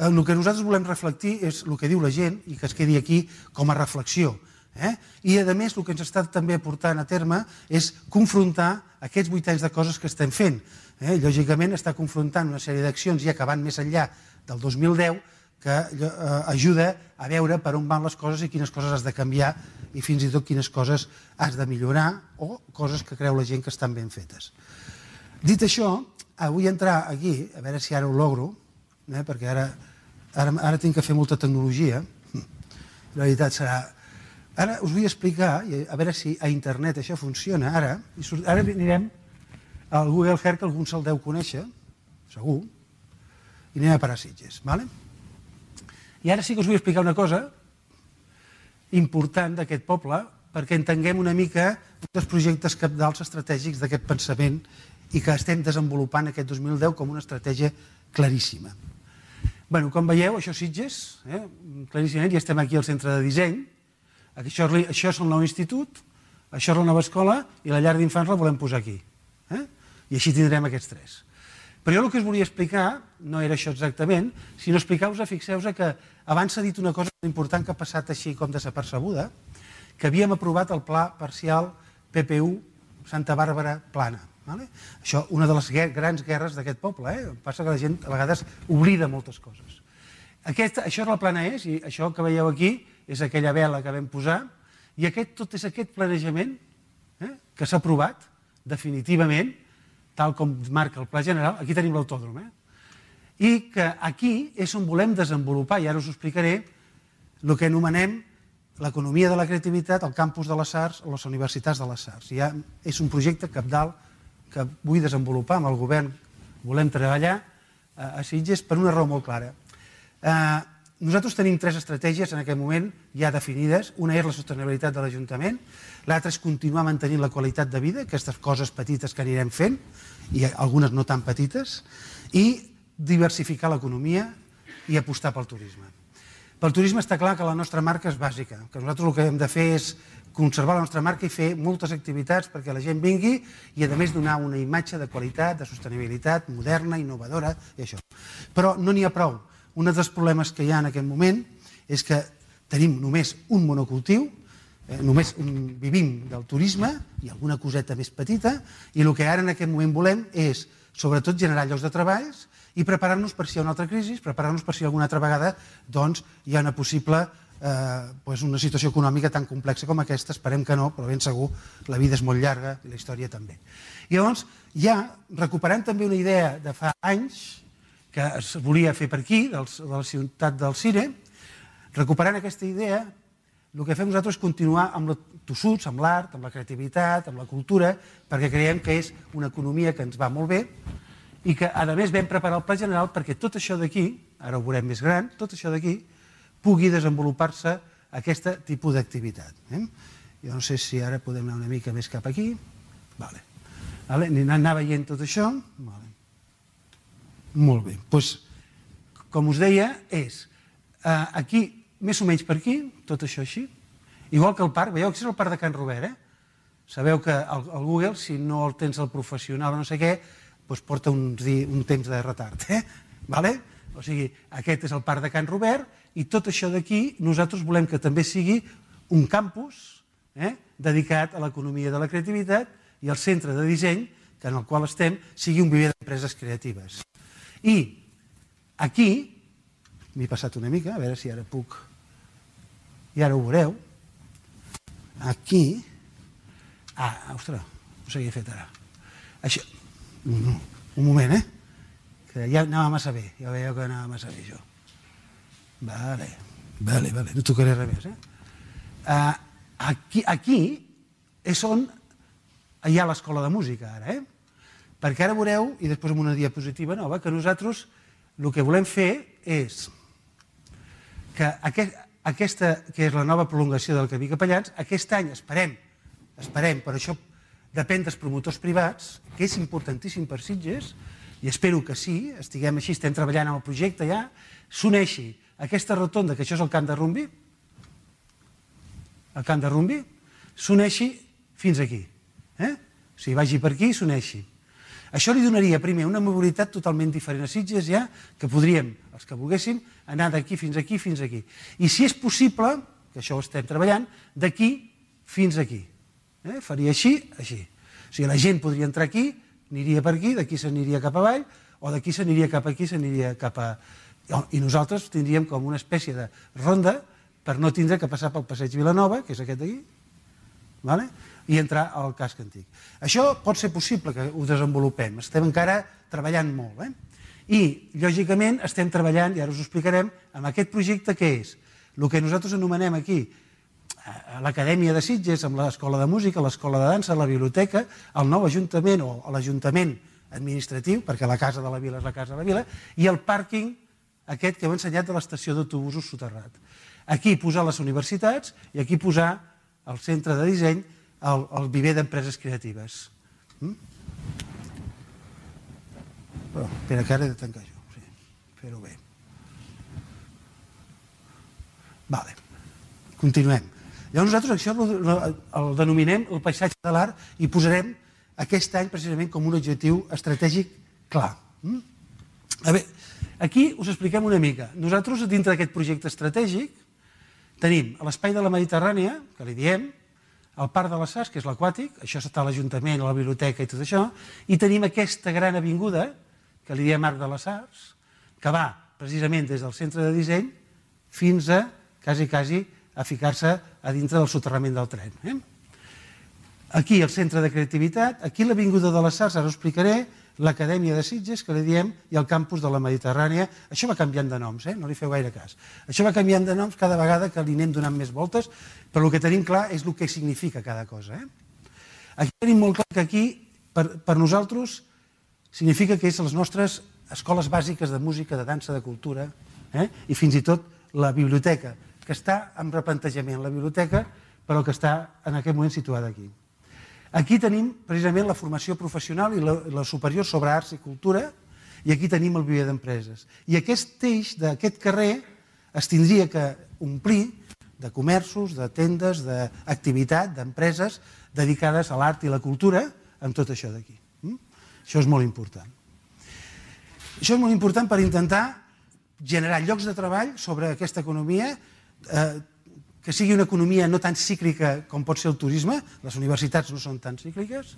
S3: el que nosaltres volem reflectir és el que diu la gent i que es quedi aquí com a reflexió. Eh? I a més el que ens està també portant a terme és confrontar aquests vuit anys de coses que estem fent. Eh? Lògicament està confrontant una sèrie d'accions ja que van més enllà del dos mil deu que eh, ajuda a veure per on van les coses i quines coses has de canviar i fins i tot quines coses has de millorar o coses que creu la gent que estan ben fetes. Dit això, vull entrar aquí, a veure si ara ho logro, eh? perquè ara, ara, ara tinc que fer molta tecnologia, la veritat serà... Ara us vull explicar, a veure si a internet això funciona ara, i surt, ara anirem al Google Earth, que algú se'l deu conèixer, segur, i anem a parar Sitges. Vale? I ara sí que us vull explicar una cosa important d'aquest poble, perquè entenguem una mica dels projectes cabdals estratègics d'aquest pensament i que estem desenvolupant aquest dos mil deu com una estratègia claríssima. Bé, com veieu, això és Sitges, eh? claríssimament, i estem aquí al centre de disseny. Això, això és el nou institut, això és la nova escola i la llar d'infants la volem posar aquí. Eh? I així tindrem aquests tres. Però jo el que us volia explicar no era això exactament, sinó explicar-vos, fixeu-vos que abans s'ha dit una cosa important que ha passat així com desapercebuda, que havíem aprovat el pla parcial P P U Santa Bàrbara Plana. Vale? Això, una de les grans guerres d'aquest poble. Eh? Passa que la gent a vegades oblida moltes coses. Aquesta, això és la Plana És, i això que veieu aquí és aquella vela que vam posar, i aquest, tot és aquest planejament eh, que s'ha aprovat definitivament, tal com marca el Pla General. Aquí tenim l'autòdrom. Eh? I que aquí és on volem desenvolupar, i ara us ho explicaré, el que anomenem l'economia de la creativitat, el campus de les arts o les universitats de les arts. Ja és un projecte cabdal que vull desenvolupar amb el govern. Volem treballar a Sitges per una raó molt clara. Eh, Nosaltres tenim tres estratègies en aquest moment ja definides. Una és la sostenibilitat de l'Ajuntament, l'altra és continuar mantenint la qualitat de vida, aquestes coses petites que anirem fent, i algunes no tan petites, i diversificar l'economia i apostar pel turisme. Pel turisme està clar que la nostra marca és bàsica, que nosaltres el que hem de fer és conservar la nostra marca i fer moltes activitats perquè la gent vingui i a més donar una imatge de qualitat, de sostenibilitat, moderna, innovadora i això. Però no n'hi ha prou. Un dels problemes que hi ha en aquest moment és que tenim només un monocultiu, només vivim del turisme i alguna coseta més petita, i el que ara en aquest moment volem és, sobretot, generar llocs de treballs i preparar-nos per si hi ha una altra crisi, preparar-nos per si alguna altra vegada hi ha una possible una situació econòmica tan complexa com aquesta. Esperem que no, però ben segur la vida és molt llarga i la història també. I llavors, ja recuperant també una idea de fa anys que es volia fer per aquí, de la ciutat del Cire, recuperant aquesta idea, el que fem nosaltres és continuar amb els tossuts, amb l'art, amb la creativitat, amb la cultura, perquè creiem que és una economia que ens va molt bé i que, a més, vam preparar el pla general perquè tot això d'aquí, ara ho veurem més gran, tot això d'aquí pugui desenvolupar-se aquest tipus d'activitat. Jo no sé si ara podem anar una mica més cap aquí. Anar veient tot això. Molt bé. Com us deia, és aquí, més o menys per aquí, tot això així. Igual que el parc, veieu que és el parc de Can Robert, eh? Sabeu que el Google, si no el tens el professional o no sé què, porta un temps de retard, eh? O sigui, aquest és el parc de Can Robert i tot això d'aquí nosaltres volem que també sigui un campus dedicat a l'economia de la creativitat i el centre de disseny en el qual estem sigui un viver d'empreses creatives. I aquí, m'he passat una mica, a veure si ara puc, i ara ho veureu, aquí, ah, ostres, no s'havia fet ara, això, un moment, eh? Que ja anava massa bé, ja veieu que anava massa bé, això. Vale, vale, vale, no tocaré res més, eh? Aquí és on hi ha l'escola de música, ara, eh? Perquè ara veureu, i després amb una diapositiva nova, que nosaltres el que volem fer és que aquesta, que és la nova prolongació del Camí Capellans, aquest any esperem, esperem, per això depèn dels promotors privats, que és importantíssim per Sitges, i espero que sí, estiguem així, estem treballant en el projecte ja, s'uneixi aquesta rotonda, que això és el camp de rugbi, el camp de rugbi, s'uneixi fins aquí. O sigui, vagi per aquí i s'uneixi. Això li donaria, primer, una mobilitat totalment diferent a Sitges ja, que podríem, els que volguéssim, anar d'aquí fins aquí, fins aquí. I si és possible, que això ho estem treballant, d'aquí fins aquí. Faria així, així. O sigui, la gent podria entrar aquí, aniria per aquí, d'aquí s'aniria cap avall, o d'aquí s'aniria cap aquí, s'aniria cap a... I nosaltres tindríem com una espècie de ronda per no tindre que passar pel passeig Vilanova, que és aquest d'aquí, i entrar al casc antic. Això pot ser possible que ho desenvolupem, estem encara treballant molt. I, lògicament, estem treballant, i ara us ho explicarem, amb aquest projecte que és el que nosaltres anomenem aquí l'Acadèmia de Sitges, amb l'Escola de Música, l'Escola de Dansa, la Biblioteca, el nou Ajuntament o l'Ajuntament administratiu, perquè la Casa de la Vila és la Casa de la Vila, i el pàrquing aquest que heu ensenyat de l'estació d'autobusos soterrat. Aquí posar les universitats i aquí posar el centre de disseny, el viver d'empreses creatives. Espera, que ara he de tancar això. Fer-ho bé. Vale. Continuem. Llavors nosaltres això el denominem el paisatge de l'art i posarem aquest any precisament com un objectiu estratègic clar. A veure, aquí us expliquem una mica. Nosaltres, dintre d'aquest projecte estratègic, tenim l'espai de la Mediterrània, que li diem, el Parc de les Arts, que és l'aquàtic, això està a l'Ajuntament, a la biblioteca i tot això, i tenim aquesta gran avinguda, que li diem Arc de les Arts, que va precisament des del centre de disseny fins a, quasi, quasi, a ficar-se a dintre del soterrament del tren. Aquí el centre de creativitat, aquí l'avinguda de les Arts, ara us explicaré, l'Acadèmia de Sitges, que li diem, i el campus de la Mediterrània. Això va canviant de noms, no li feu gaire cas. Això va canviant de noms cada vegada que li anem donant més voltes, però el que tenim clar és el que significa cada cosa. Aquí tenim molt clar que aquí, per nosaltres, significa que és les nostres escoles bàsiques de música, de dansa, de cultura, i fins i tot la biblioteca, que està en replantejament, la biblioteca, però que està en aquest moment situada aquí. Aquí tenim precisament la formació professional i la superior sobre arts i cultura, i aquí tenim el viver d'empreses. I aquest eix d'aquest carrer es tindria que omplir de comerços, de tendes, d'activitat, d'empreses dedicades a l'art i la cultura, amb tot això d'aquí. Això és molt important. Això és molt important per intentar generar llocs de treball sobre aquesta economia que sigui una economia no tan cíclica com pot ser el turisme, les universitats no són tan cícliques,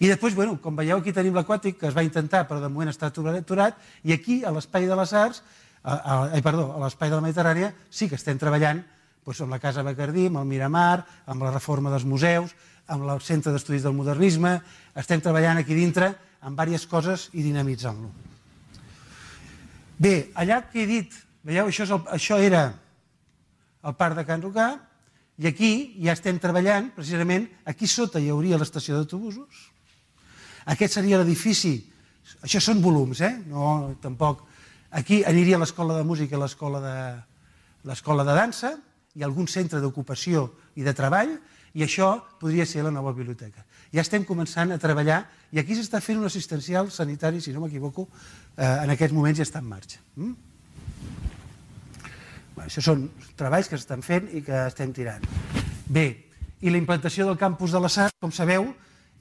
S3: i després, bueno, com veieu, aquí tenim l'Aquàtic, que es va intentar, però de moment està aturat, i aquí, a l'Espai de les Arts, a, a, a, perdó, a l'Espai de la Mediterrània, sí que estem treballant doncs, amb la Casa Bacardí, amb el Miramar, amb la reforma dels museus, amb el Centre d'Estudis del Modernisme, estem treballant aquí dintre amb diverses coses i dinamitzant-lo. Bé, allà que he dit, veieu, això, és el, això era el Parc de Can Rocà, i aquí ja estem treballant, precisament, aquí sota hi hauria l'estació d'autobusos, aquest seria l'edifici, això són volums, eh? No, tampoc, aquí aniria l'escola de música i l'escola de, l'escola de dansa, i algun centre d'ocupació i de treball, i això podria ser la nova biblioteca. Ja estem començant a treballar, i aquí s'està fent un assistencial sanitari, si no m'equivoco, eh, en aquests moments ja està en marxa. Mm? Bueno, això són treballs que s'estan fent i que estem tirant. Bé, i la implantació del campus de la S A R, com sabeu,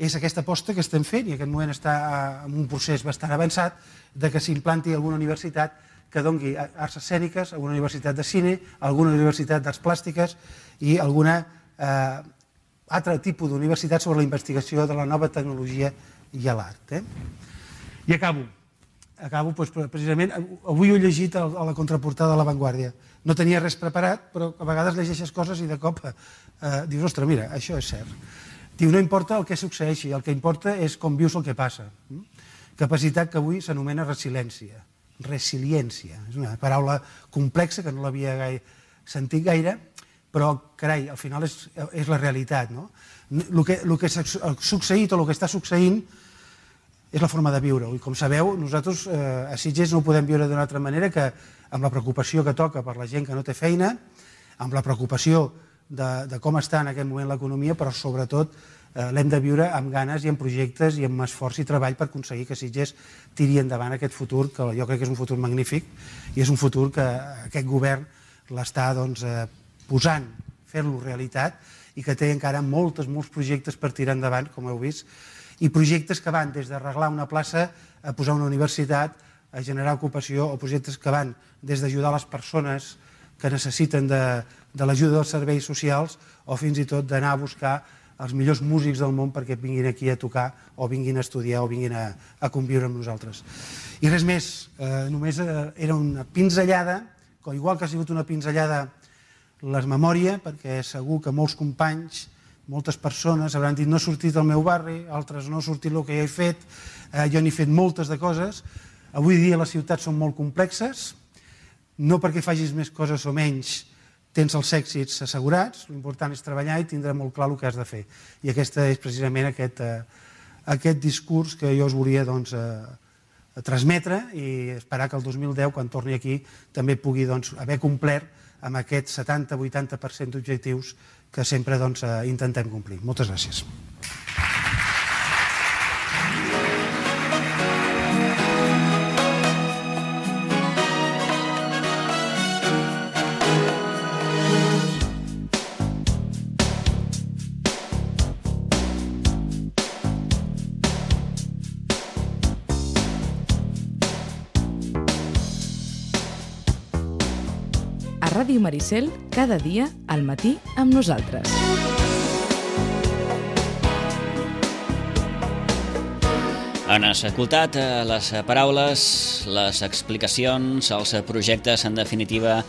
S3: és aquesta aposta que estem fent, i en aquest moment està en un procés bastant avançat, de que s'implanti alguna universitat que doni arts escèniques, alguna universitat de cine, alguna universitat d'arts plàstiques i alguna eh, altre tipus d'universitat sobre la investigació de la nova tecnologia i l'art. Eh? I acabo. Acabo, doncs, precisament, avui ho he llegit a la contraportada de La Vanguardia. No tenia res preparat, però a vegades llegeixes coses i de cop eh, dius, ostres, mira, això és cert. Diu, no importa el que succeeixi, el que importa és com vius el que passa. Capacitat que avui s'anomena resiliència. Resiliència. És una paraula complexa que no l'havia gai... sentit gaire, però, carai, al final és, és la realitat. No? El que, el que ha succeït o el que està succeint és la forma de viure-ho. I com sabeu, nosaltres eh, a Sitges no ho podem viure d'una altra manera que amb la preocupació que toca per la gent que no té feina, amb la preocupació de, de com està en aquest moment l'economia, però sobretot eh, l'hem de viure amb ganes i amb projectes i amb esforç i treball per aconseguir que Sitges tiri endavant aquest futur, que jo crec que és un futur magnífic i és un futur que aquest govern l'està doncs, eh, posant, fer-lo realitat i que té encara moltes, molts projectes per tirar endavant, com heu vist, i projectes que van des d'arreglar una plaça a posar una universitat, a generar ocupació, o projectes que van des d'ajudar les persones que necessiten de, de l'ajuda dels serveis socials o fins i tot d'anar a buscar els millors músics del món perquè vinguin aquí a tocar o vinguin a estudiar o vinguin a, a conviure amb nosaltres. I res més, eh, només eh, era una pinzellada, igual que ha sigut una pinzellada les memòria, perquè segur que molts companys, moltes persones hauran dit no ha sortit del meu barri, altres no ha sortit el que jo he fet, eh, jo n'he fet moltes de coses. Avui dia les ciutats són molt complexes, no perquè facis més coses o menys tens els èxits assegurats, l'important és treballar i tindre molt clar el que has de fer. I aquest és precisament aquest, eh, aquest discurs que jo us volia doncs, eh, transmetre i esperar que el dos mil deu, quan torni aquí, també pugui doncs, haver complert amb aquest setanta a vuitanta per cent d'objectius que sempre doncs, eh, intentem complir. Moltes gràcies.
S1: Ràdio Maricel, cada dia al matí amb nosaltres.
S2: Han escoltat les paraules, les explicacions, els projectes, en definitiva,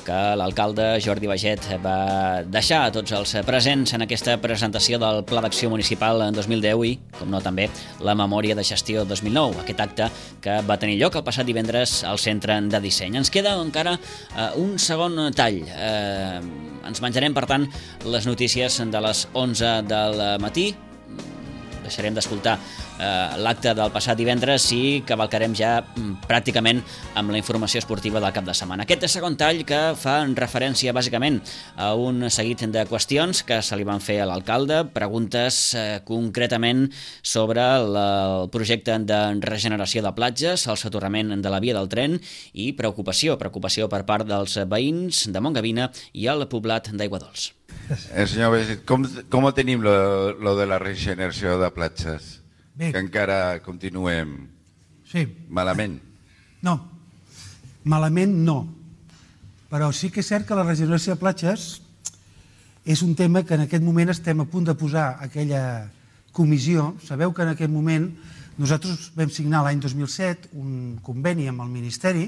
S2: que l'alcalde Jordi Baiget va deixar a tots els presents en aquesta presentació del Pla d'Acció Municipal en dos mil deu i, com no, també la Memòria de Gestió dos mil nou, aquest acte que va tenir lloc el passat divendres al Centre de Disseny. Ens queda encara eh, un segon tall. Eh, ens menjarem, per tant, les notícies de les onze del matí. Deixarem d'escoltar eh, l'acte del passat divendres i cavalcarem ja mm, pràcticament amb la informació esportiva del cap de setmana. Aquest segon tall que fa referència bàsicament a un seguit de qüestions que se li van fer a l'alcalde, preguntes eh, concretament sobre la, el projecte de regeneració de platges, el soterrament de la via del tren i preocupació, preocupació per part dels veïns de Montgavina i el poblat d'Aiguadols.
S4: Eh, senyor Baiget, com, com ho tenim lo, lo de la regeneració de platges? Bé. Que encara continuem
S3: sí.
S4: malament?
S3: No, malament no. Però sí que és cert que la regeneració de platges és un tema que en aquest moment estem a punt de posar aquella comissió. Sabeu que en aquest moment nosaltres vam signar l'any dos mil set un conveni amb el Ministeri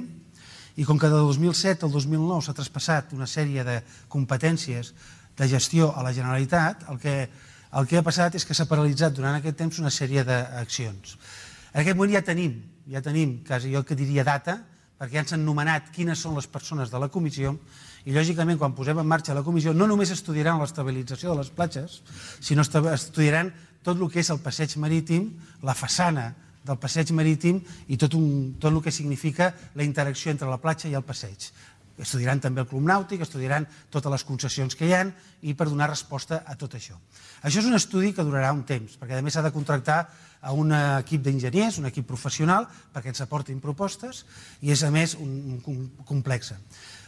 S3: i com que de dos mil set al dos mil nou s'ha traspassat una sèrie de competències de gestió a la Generalitat, el que, el que ha passat és que s'ha paralitzat durant aquest temps una sèrie d'accions. En aquest moment ja tenim, ja tenim, quasi jo que diria data, perquè ja ens han nomenat quines són les persones de la comissió i lògicament quan posem en marxa la comissió no només estudiaran l'estabilització de les platges, sinó estudiaran tot el que és el passeig marítim, la façana del passeig marítim i tot, un, tot el que significa la interacció entre la platja i el passeig. Estudiaran també el club nàutic, estudiaran totes les concessions que hi ha i per donar resposta a tot això. Això és un estudi que durarà un temps, perquè a més s'ha de contractar a un equip d'enginyers, un equip professional, perquè ens aportin propostes i és a més un, un complex.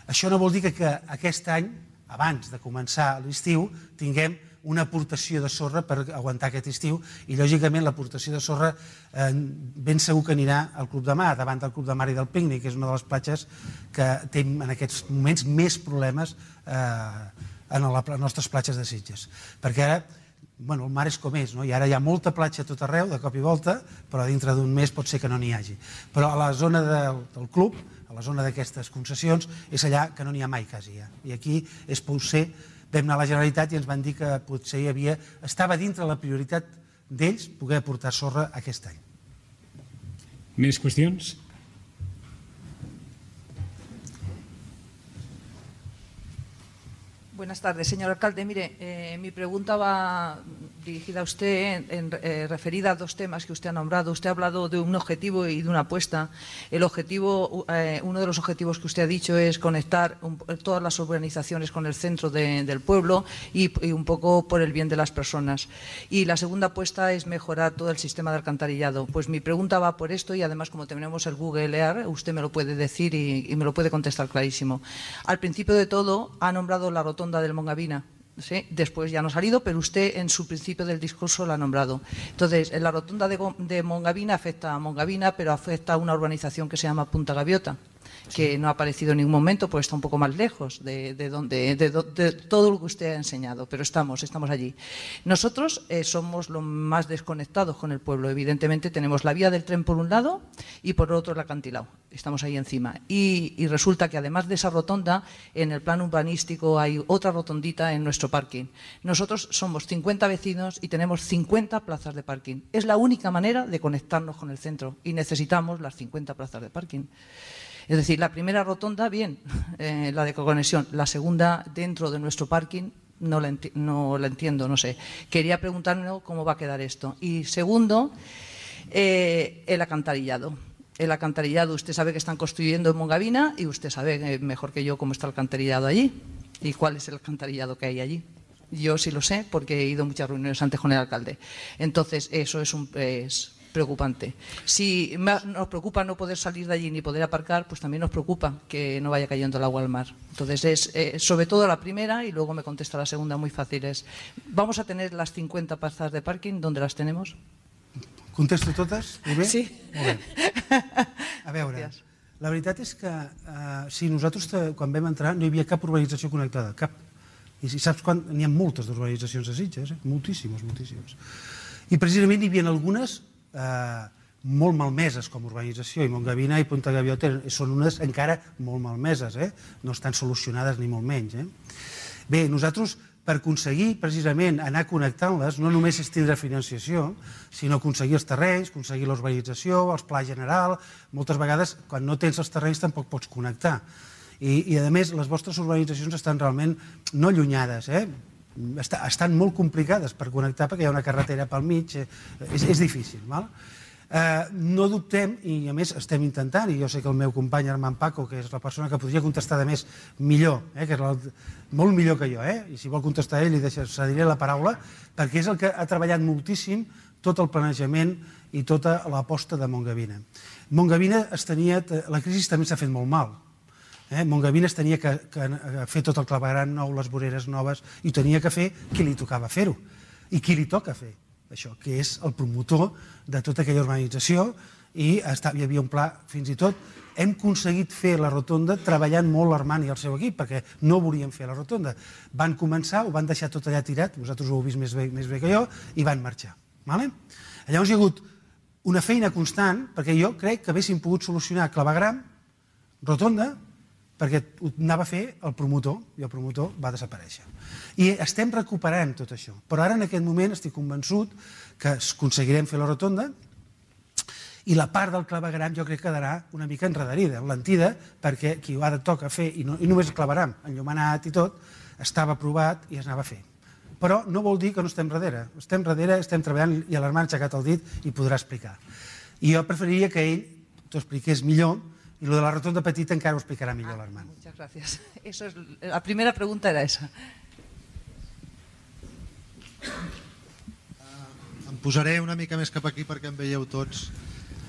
S3: Això no vol dir que, que aquest any, abans de començar l'estiu, tinguem una aportació de sorra per aguantar aquest estiu i lògicament l'aportació de sorra eh, ben segur que anirà al Club de Mar, davant del Club de Mar i del Pícnic, que és una de les platges que té en aquests moments més problemes eh, en les nostres platges de Sitges. Perquè ara bueno, el mar és com és, no? I ara hi ha molta platja a tot arreu, de cop i volta, però dintre d'un mes pot ser que no n'hi hagi. Però a la zona del, del club, a la zona d'aquestes concessions, és allà que no n'hi ha mai quasi ja. I aquí és potser vam anar a la Generalitat i ens van dir que potser hi havia, estava dintre la prioritat d'ells poder aportar sorra aquest any.
S5: Més qüestions?
S6: Buenas tardes, señor alcalde. Mire, eh, mi pregunta va dirigida a usted, en, eh, referida a dos temas que usted ha nombrado. Usted ha hablado de un objetivo y de una apuesta. El objetivo, eh, uno de los objetivos que usted ha dicho es conectar un, todas las urbanizaciones con el centro de, del pueblo y, y un poco por el bien de las personas. Y la segunda apuesta es mejorar todo el sistema de alcantarillado. Pues mi pregunta va por esto y además como tenemos el Google Earth, usted me lo puede decir y, y me lo puede contestar clarísimo. Al principio de todo ha nombrado la rotonda del Mongavina, ¿sí? Después ya no ha salido, pero usted en su principio del discurso la ha nombrado. Entonces, la rotonda de, de Mongavina afecta a Mongavina, pero afecta a una urbanización que se llama Punta Gaviota, que no ha aparecido en ningún momento, pues está un poco más lejos de, de, donde, de, de, de todo lo que usted ha enseñado, pero estamos, estamos allí. Nosotros eh, somos los más desconectados con el pueblo. Evidentemente tenemos la vía del tren por un lado y por otro el acantilado. Estamos ahí encima. Y, y resulta que además de esa rotonda, en el plan urbanístico hay otra rotondita en nuestro parking. Nosotros somos cincuenta vecinos y tenemos cincuenta plazas de parking. Es la única manera de conectarnos con el centro y necesitamos las cincuenta plazas de parking. Es decir, la primera rotonda, bien, eh, la de conexión. La segunda, dentro de nuestro parking, no la, enti no la entiendo, no sé. Quería preguntarme cómo va a quedar esto. Y segundo, eh, el acantarillado. El alcantarillado, usted sabe que están construyendo en Mongavina y usted sabe mejor que yo cómo está el alcantarillado allí y cuál es el alcantarillado que hay allí. Yo sí lo sé porque he ido a muchas reuniones antes con el alcalde. Entonces, eso es un... Es, preocupante. Si nos preocupa no poder salir de allí ni poder aparcar, pues también nos preocupa que no vaya cayendo el agua al mar. Entonces, es eh, sobre todo la primera y luego me contesta la segunda muy fácil. Es, ¿vamos a tener las cincuenta plazas de parking? ¿Dónde las tenemos?
S3: Contesto totes?
S6: Sí.
S3: Molt bé. A veure, Gràcies. La veritat és que eh, si nosaltres quan vam entrar no hi havia cap urbanització connectada, cap. I si saps quan n'hi ha moltes d'urbanitzacions a Sitges, eh? moltíssimes, moltíssimes. I precisament hi havia algunes Eh, molt malmeses com a urbanització i Mongavina i Punta Gaviota són unes encara molt malmeses, eh? No estan solucionades ni molt menys. Eh? Bé, nosaltres per aconseguir precisament anar connectant-les no només és tindre financiació, sinó aconseguir els terrenys, aconseguir l'urbanització, els plans general. Moltes vegades quan no tens els terrenys tampoc pots connectar. I, i a més les vostres urbanitzacions estan realment no allunyades, eh? Estan molt complicades per connectar perquè hi ha una carretera pel mig, és, és difícil. Val? Eh, no dubtem, i a més estem intentant, i jo sé que el meu company Armand Paco, que és la persona que podria contestar de més millor, eh, que és la, molt millor que jo, eh, i si vol contestar ell li cediré la paraula, perquè és el que ha treballat moltíssim tot el planejament i tota l'aposta de Mongavina. Mongavina es tenia, la crisi també s'ha fet molt mal. Eh? Mongavina es tenia que, que fer tot el clavegueram nou, les voreres noves, i ho tenia que fer qui li tocava fer-ho. I qui li toca fer això, que és el promotor de tota aquella urbanització i hi havia un pla, fins i tot hem aconseguit fer la rotonda treballant molt l'Armand i el seu equip, perquè no volien fer la rotonda. Van començar, ho van deixar tot allà tirat, vosaltres ho heu vist més bé, més bé que jo, i van marxar. Llavors hi ha hagut una feina constant, perquè jo crec que haguéssim pogut solucionar clavegram, rotonda, perquè ho anava a fer el promotor, i el promotor va desaparèixer. I estem recuperant tot això, però ara en aquest moment estic convençut que aconseguirem fer la rotonda i la part del clavegram jo crec que quedarà una mica enredarida, enlentida, perquè qui ho ha de tocar fer, i, no, i només el clavegram, enllumenat i tot, estava aprovat i es anava a fer. Però no vol dir que no estem darrere. Estem darrere, estem treballant i l'Armand ha aixecat el dit i podrà explicar. I jo preferiria que ell t'ho expliqués millor i lo de la rotonda petita encara ho explicarà millor l'Armand.
S6: Muchas gracias. Eso es, la primera pregunta era esa.
S7: Em posaré una mica més cap aquí perquè em veieu tots.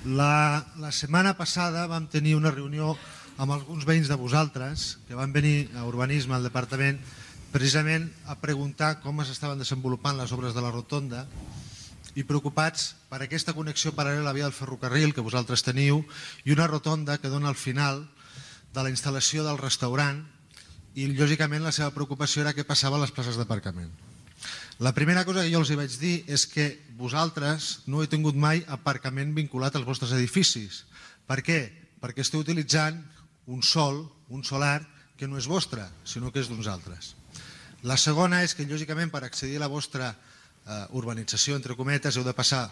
S7: La, la setmana passada vam tenir una reunió amb alguns veïns de vosaltres que van venir a Urbanisme al departament precisament a preguntar com s'estaven desenvolupant les obres de la rotonda i preocupats per aquesta connexió paral·lela a la via del ferrocarril que vosaltres teniu i una rotonda que dona al final de la instal·lació del restaurant i lògicament la seva preocupació era què passava a les places d'aparcament. La primera cosa que jo els hi vaig dir és que vosaltres no heu tingut mai aparcament vinculat als vostres edificis. Per què? Perquè esteu utilitzant un sol, un solar, que no és vostre, sinó que és d'uns altres. La segona és que, lògicament, per accedir a la vostra eh, urbanització, entre cometes, heu de passar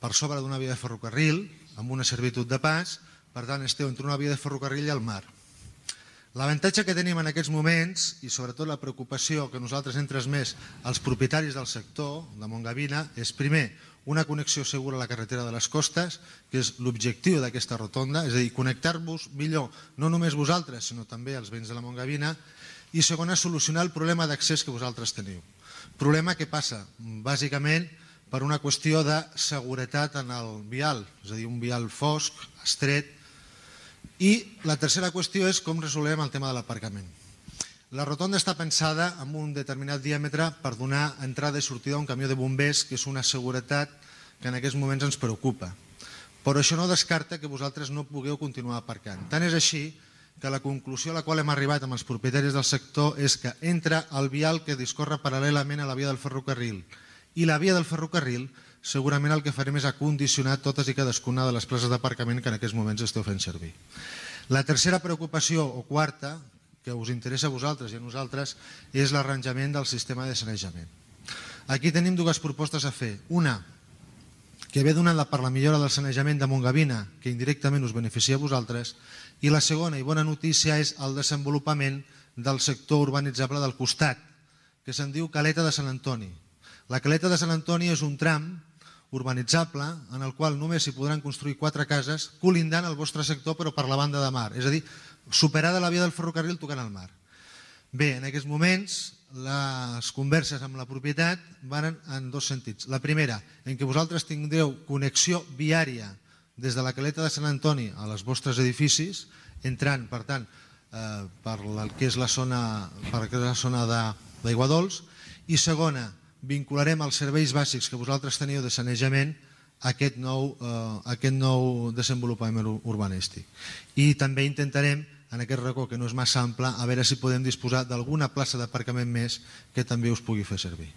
S7: per sobre d'una via de ferrocarril, amb una servitud de pas, per tant, esteu entre una via de ferrocarril i el mar. L'avantatge que tenim en aquests moments, i sobretot la preocupació que nosaltres hem transmès als propietaris del sector de Montgavina, és primer una connexió segura a la carretera de les costes, que és l'objectiu d'aquesta rotonda, és a dir, connectar-vos millor, no només vosaltres, sinó també els veïns de la Montgavina, i segona, solucionar el problema d'accés que vosaltres teniu. Problema que passa, bàsicament, per una qüestió de seguretat en el vial, és a dir, un vial fosc, estret. I la tercera qüestió és com resolem el tema de l'aparcament. La rotonda està pensada amb un determinat diàmetre per donar entrada i sortida a un camió de bombers, que és una seguretat que en aquests moments ens preocupa. Però això no descarta que vosaltres no pugueu continuar aparcant. Tant és així que la conclusió a la qual hem arribat amb els propietaris del sector és que entre el vial que discorre paral·lelament a la via del ferrocarril i la via del ferrocarril segurament el que farem és acondicionar totes i cadascuna de les places d'aparcament que en aquests moments esteu fent servir. La tercera preocupació, o quarta, que us interessa a vosaltres i a nosaltres, és l'arranjament del sistema de sanejament. Aquí tenim dues propostes a fer. Una, que ve donada per la millora del sanejament de Montgavina, que indirectament us beneficia a vosaltres, i la segona i bona notícia és el desenvolupament del sector urbanitzable del costat, que se'n diu Caleta de Sant Antoni. La Caleta de Sant Antoni és un tram urbanitzable en el qual només s'hi podran construir quatre cases colindant al vostre sector però per la banda de mar, és a dir, superada la via del ferrocarril tocant al mar. Bé, en aquests moments les converses amb la propietat van en dos sentits. La primera, en què vosaltres tindreu connexió viària des de la Caleta de Sant Antoni a les vostres edificis, entrant, per tant, eh, per el que és la zona, per la zona d'Aigua Dols, i segona, vincularem els serveis bàsics que vosaltres teniu de sanejament a aquest nou, eh, aquest nou desenvolupament urbanístic. I també intentarem, en aquest racó que no és massa ample, a veure si podem disposar d'alguna plaça d'aparcament més que també us pugui fer servir.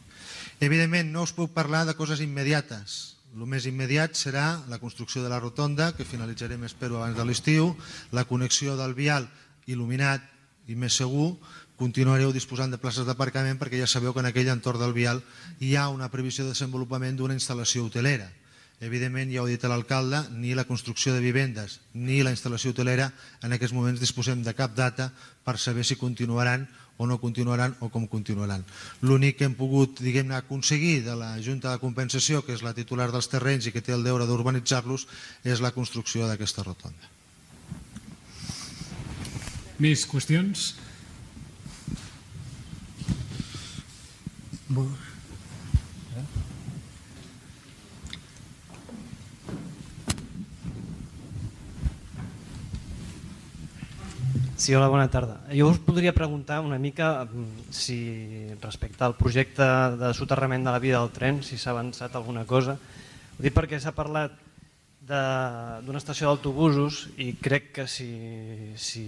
S7: Evidentment, no us puc parlar de coses immediates. El més immediat serà la construcció de la rotonda, que finalitzarem, espero, abans de l'estiu, la connexió del vial il·luminat i més segur. Continuareu disposant de places d'aparcament perquè ja sabeu que en aquell entorn del vial hi ha una previsió de desenvolupament d'una instal·lació hotelera. Evidentment, ja ho ha dit l'alcalde, ni la construcció de vivendes ni la instal·lació hotelera en aquests moments disposem de cap data per saber si continuaran o no continuaran o com continuaran. L'únic que hem pogut, diguem-ne, aconseguir de la Junta de Compensació, que és la titular dels terrenys i que té el deure d'urbanitzar-los, és la construcció d'aquesta rotonda.
S5: Més qüestions?
S8: Sí, hola, bona tarda. Jo us podria preguntar una mica si respecte al projecte de soterrament de la via del tren, si s'ha avançat alguna cosa. Ho dic perquè s'ha parlat d'una estació d'autobusos i crec que si, si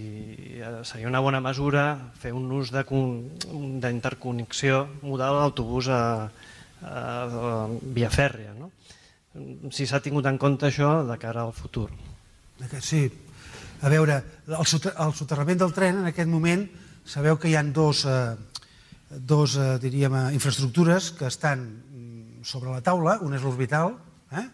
S8: seria una bona mesura fer un ús d'interconnexió modal d'autobús a, a, a via fèrria, no? Si s'ha tingut en compte això de cara al futur.
S3: Sí, a veure, el soterrament del tren en aquest moment sabeu que hi ha dos, dos diríem, infraestructures que estan sobre la taula. Una és l'orbital, eh?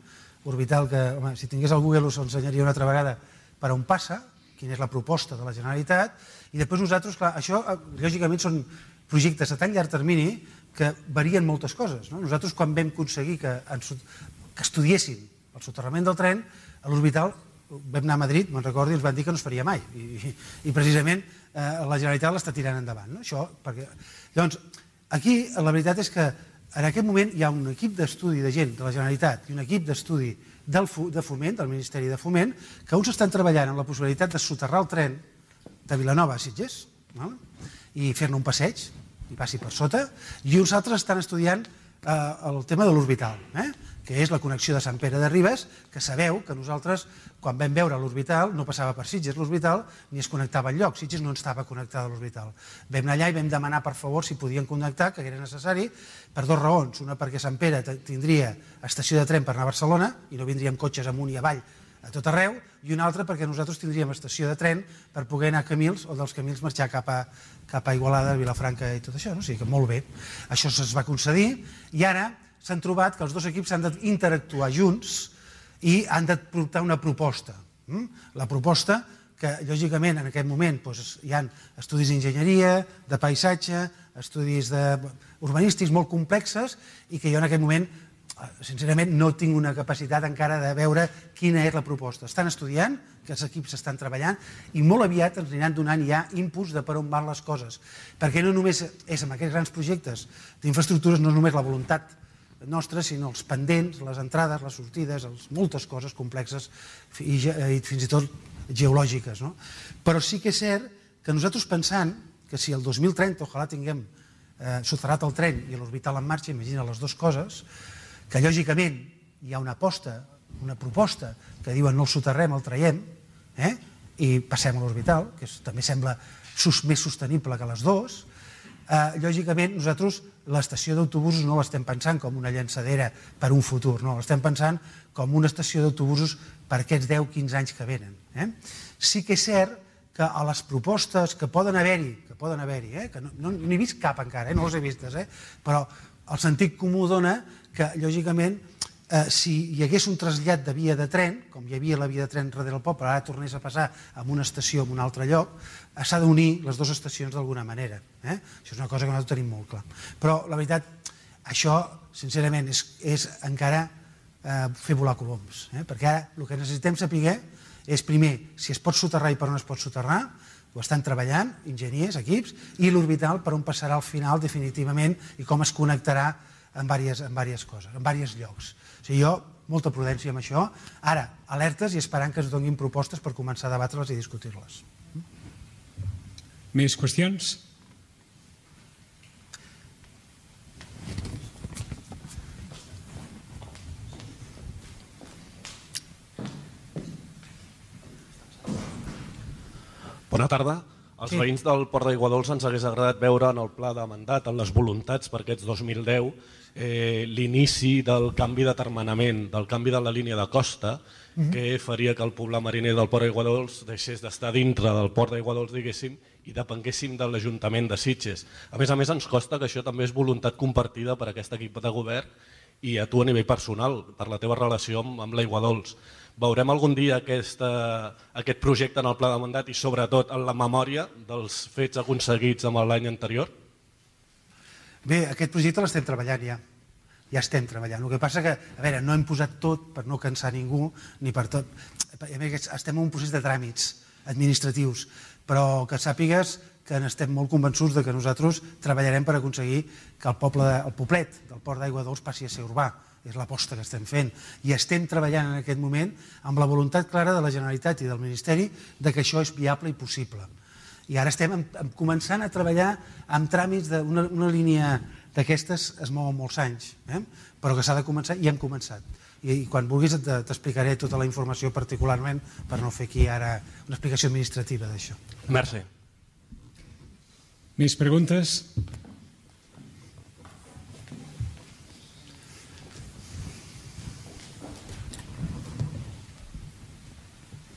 S3: Orbital que, home, si tingués el Google us ensenyaria una altra vegada per on passa, quina és la proposta de la Generalitat, i després nosaltres, clar, això lògicament són projectes a tan llarg termini que varien moltes coses, no? Nosaltres quan vam aconseguir que, que estudiessin el soterrament del tren, a l'orbital vam anar a Madrid, me'n recordo, i ens van dir que no es faria mai, i, i precisament eh, la Generalitat l'està tirant endavant, no? Això, perquè... Llavors, aquí la veritat és que en aquest moment hi ha un equip d'estudi de gent de la Generalitat i un equip d'estudi de Foment, del Ministeri de Foment, que uns estan treballant en la possibilitat de soterrar el tren de Vilanova a Sitges, no? I fer-ne un passeig, i passi per sota, i uns altres estan estudiant eh, el tema de l'orbital, eh? que és la connexió de Sant Pere de Ribes, que sabeu que nosaltres, quan vam veure l'orbital, no passava per Sitges l'orbital, ni es connectava enlloc. Sitges no estava connectada a l'orbital. Vam anar allà i vam demanar, per favor, si podien connectar, que era necessari, per dues raons. Una, perquè Sant Pere tindria estació de tren per anar a Barcelona, i no vindríem cotxes amunt i avall a tot arreu, i una altra perquè nosaltres tindríem estació de tren per poder anar a Camils, o dels Camils marxar cap a, cap a Igualada, Vilafranca i tot això. No? O sigui que molt bé. Això es va concedir, i ara s'han trobat que els dos equips han d'interactuar junts i han de portar una proposta. La proposta que, lògicament, en aquest moment hi ha estudis d'enginyeria, de paisatge, estudis urbanístics molt complexes i que jo en aquest moment, sincerament, no tinc una capacitat encara de veure quina és la proposta. Estan estudiant, que els equips estan treballant i molt aviat ens aniran donant ja inputs de per on van les coses. Perquè no només és amb aquests grans projectes d'infraestructures, no és només la voluntat nostres, sinó els pendents, les entrades, les sortides, moltes coses complexes i fins i tot geològiques. No? Però sí que és cert que nosaltres pensant que si el dos mil trenta ojalà tinguem eh, soterrat el tren i l'orbital en marxa, imagina les dues coses, que lògicament hi ha una aposta, una proposta que diuen no el soterrem, el traiem, eh, i passem a l'orbital, que és, també sembla sus, més sostenible que les dues. Eh, lògicament nosaltres l'estació d'autobusos no l'estem pensant com una llançadera per un futur, no, l'estem pensant com una estació d'autobusos per aquests deu a quinze anys que venen. Eh? Sí que és cert que a les propostes que poden haver-hi, que poden haver-hi, eh? que no, no n'he vist cap encara, eh? no les he vistes, eh? però el sentit comú dona que, lògicament, eh, si hi hagués un trasllat de via de tren, com hi havia la via de tren darrere del poble, ara tornés a passar a una estació en un altre lloc, s'ha d'unir les dues estacions d'alguna manera. Eh? Això és una cosa que nosaltres tenim molt clar. Però, la veritat, això, sincerament, és, és encara eh, fer volar coloms. Eh? Perquè ara el que necessitem saber és, primer, si es pot soterrar i per on es pot soterrar, ho estan treballant, enginyers, equips, i l'orbital per on passarà al final definitivament i com es connectarà en diverses, en diverses coses, en diversos llocs. O sigui, jo, molta prudència amb això. Ara, alertes i esperant que ens donin propostes per començar a debatre-les i discutir-les.
S5: Més qüestions?
S9: Bona tarda. Els veïns del Port d'Aiguadols ens hagués agradat veure en el pla de mandat, en les voluntats per aquests dos mil deu, eh, l'inici del canvi de termenament, del canvi de la línia de costa, mm-hmm. que faria que el poble mariner del Port d'Aiguadols deixés d'estar dintre del Port d'Aiguadols, diguéssim, i depenguéssim de l'Ajuntament de Sitges. A més a més, ens costa que això també és voluntat compartida per aquest equip de govern i a tu a nivell personal, per la teva relació amb, amb l'Aiguadols. Veurem algun dia aquesta, aquest projecte en el pla de mandat i sobretot en la memòria dels fets aconseguits amb l'any anterior?
S3: Bé, aquest projecte l'estem treballant ja. Ja estem treballant. El que passa que, a veure, no hem posat tot per no cansar ningú, ni per tot. Estem en un procés de tràmits administratius, però que sàpigues que estem molt convençuts de que nosaltres treballarem per aconseguir que el poble, el poblet del Port d'Aiguadols passi a ser urbà. És l'aposta que estem fent. I estem treballant en aquest moment amb la voluntat clara de la Generalitat i del Ministeri de que això és viable i possible. I ara estem començant a treballar amb tràmits d'una línia d'aquestes es mouen molts anys, eh? però que s'ha de començar i hem començat. i quan vulguis t'explicaré tota la informació particularment per no fer aquí ara una explicació administrativa d'això.
S9: Merci.
S5: Més preguntes?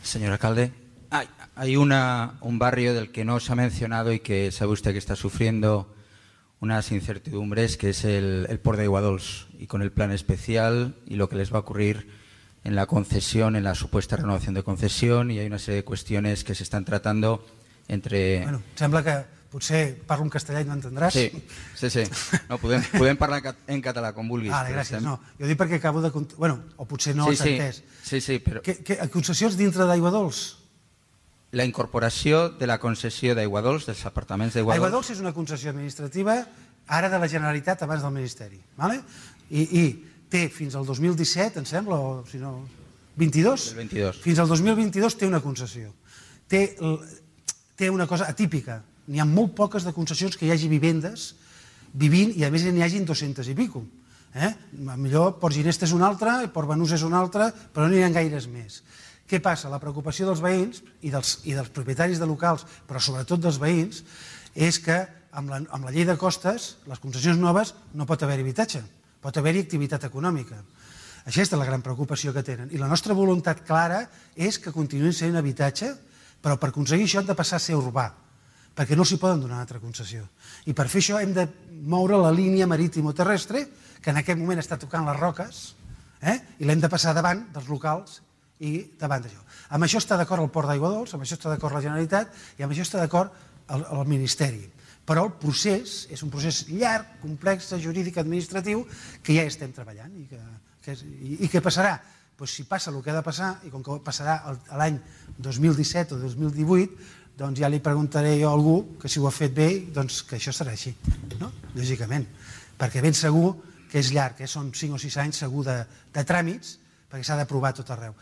S10: Señor alcalde, hay, hay una, un barrio del que no se ha mencionado y que sabe usted que está sufriendo unas incertidumbres, que es el, el Port d'Aiguadols, y con el plan especial y lo que les va a ocurrir en la concesión, en la supuesta renovación de concesión, y hay una serie de cuestiones que se están tratando entre...
S3: Bueno, sembla que potser parlo en castellà i no entendràs.
S10: Sí, sí, sí. No, podem, podem parlar en català, com vulguis.
S3: Ah, gràcies. No, jo dic perquè acabo de... Bueno, o potser no
S10: sí,
S3: has entès.
S10: Sí, sí, però...
S3: Que, que, concessions dintre d'Aiguadols?
S10: La incorporació de la concessió d'Aiguadols, dels apartaments d'Aiguadols...
S3: Aiguadols és una concessió administrativa ara de la Generalitat abans del Ministeri. ¿Vale? I, I té fins al dos mil disset, em sembla, o si no... vint-i-dos?
S10: El vint-i-dos.
S3: Fins al dos mil vint-i-dos té una concessió. Té, té una cosa atípica. N'hi ha molt poques de concessions que hi hagi vivendes vivint i a més n'hi hagin dos-centes i pico. Eh? Millor Port Ginesta és una altra, Port Banús és una altra, però no n'hi ha gaires més. Què passa? La preocupació dels veïns i dels, i dels propietaris de locals, però sobretot dels veïns, és que amb la, amb la llei de costes, les concessions noves, no pot haver habitatge, pot haver-hi activitat econòmica. Aquesta és la gran preocupació que tenen. I la nostra voluntat clara és que continuïn sent habitatge, però per aconseguir això hem de passar a ser urbà, perquè no s'hi poden donar una altra concessió. I per fer això hem de moure la línia marítim-terrestre, que en aquest moment està tocant les roques, eh? I l'hem de passar davant dels locals i davant d'això. Amb això està d'acord el Port d'Aiguadols, amb això està d'acord la Generalitat i amb això està d'acord el, el Ministeri. Però el procés és un procés llarg, complex, jurídic, administratiu, que ja estem treballant. I, que, que, i, i què passarà? Pues si passa el que ha de passar, i com que passarà l'any dos mil disset o dos mil divuit, doncs ja li preguntaré jo a algú que si ho ha fet bé, doncs que això serà així, no? Lògicament, perquè ben segur que és llarg, que són cinc o sis anys segur de, de tràmits, perquè s'ha d'aprovar tot arreu.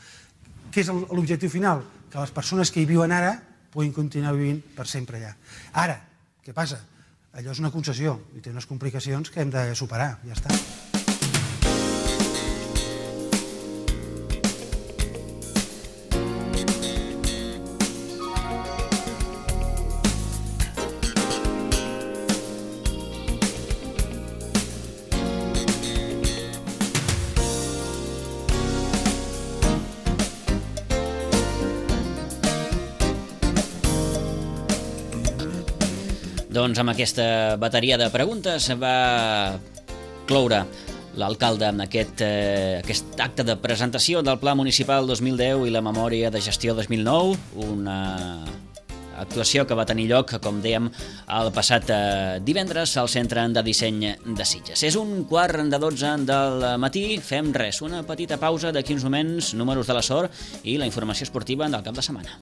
S3: Què és l'objectiu final? Que les persones que hi viuen ara puguin continuar vivint per sempre allà. Ara, què passa? Allò és una concessió i té unes complicacions que hem de superar, ja està.
S2: Doncs amb aquesta bateria de preguntes va cloure l'alcalde amb aquest, eh, aquest acte de presentació del Pla Municipal dos mil deu i la Memòria de Gestió dos mil nou, una actuació que va tenir lloc, com dèiem, el passat eh, divendres al Centre de Disseny de Sitges. És un quart de dotze del matí, fem res, una petita pausa d'aquí uns moments, números de la sort i la informació esportiva del cap de setmana.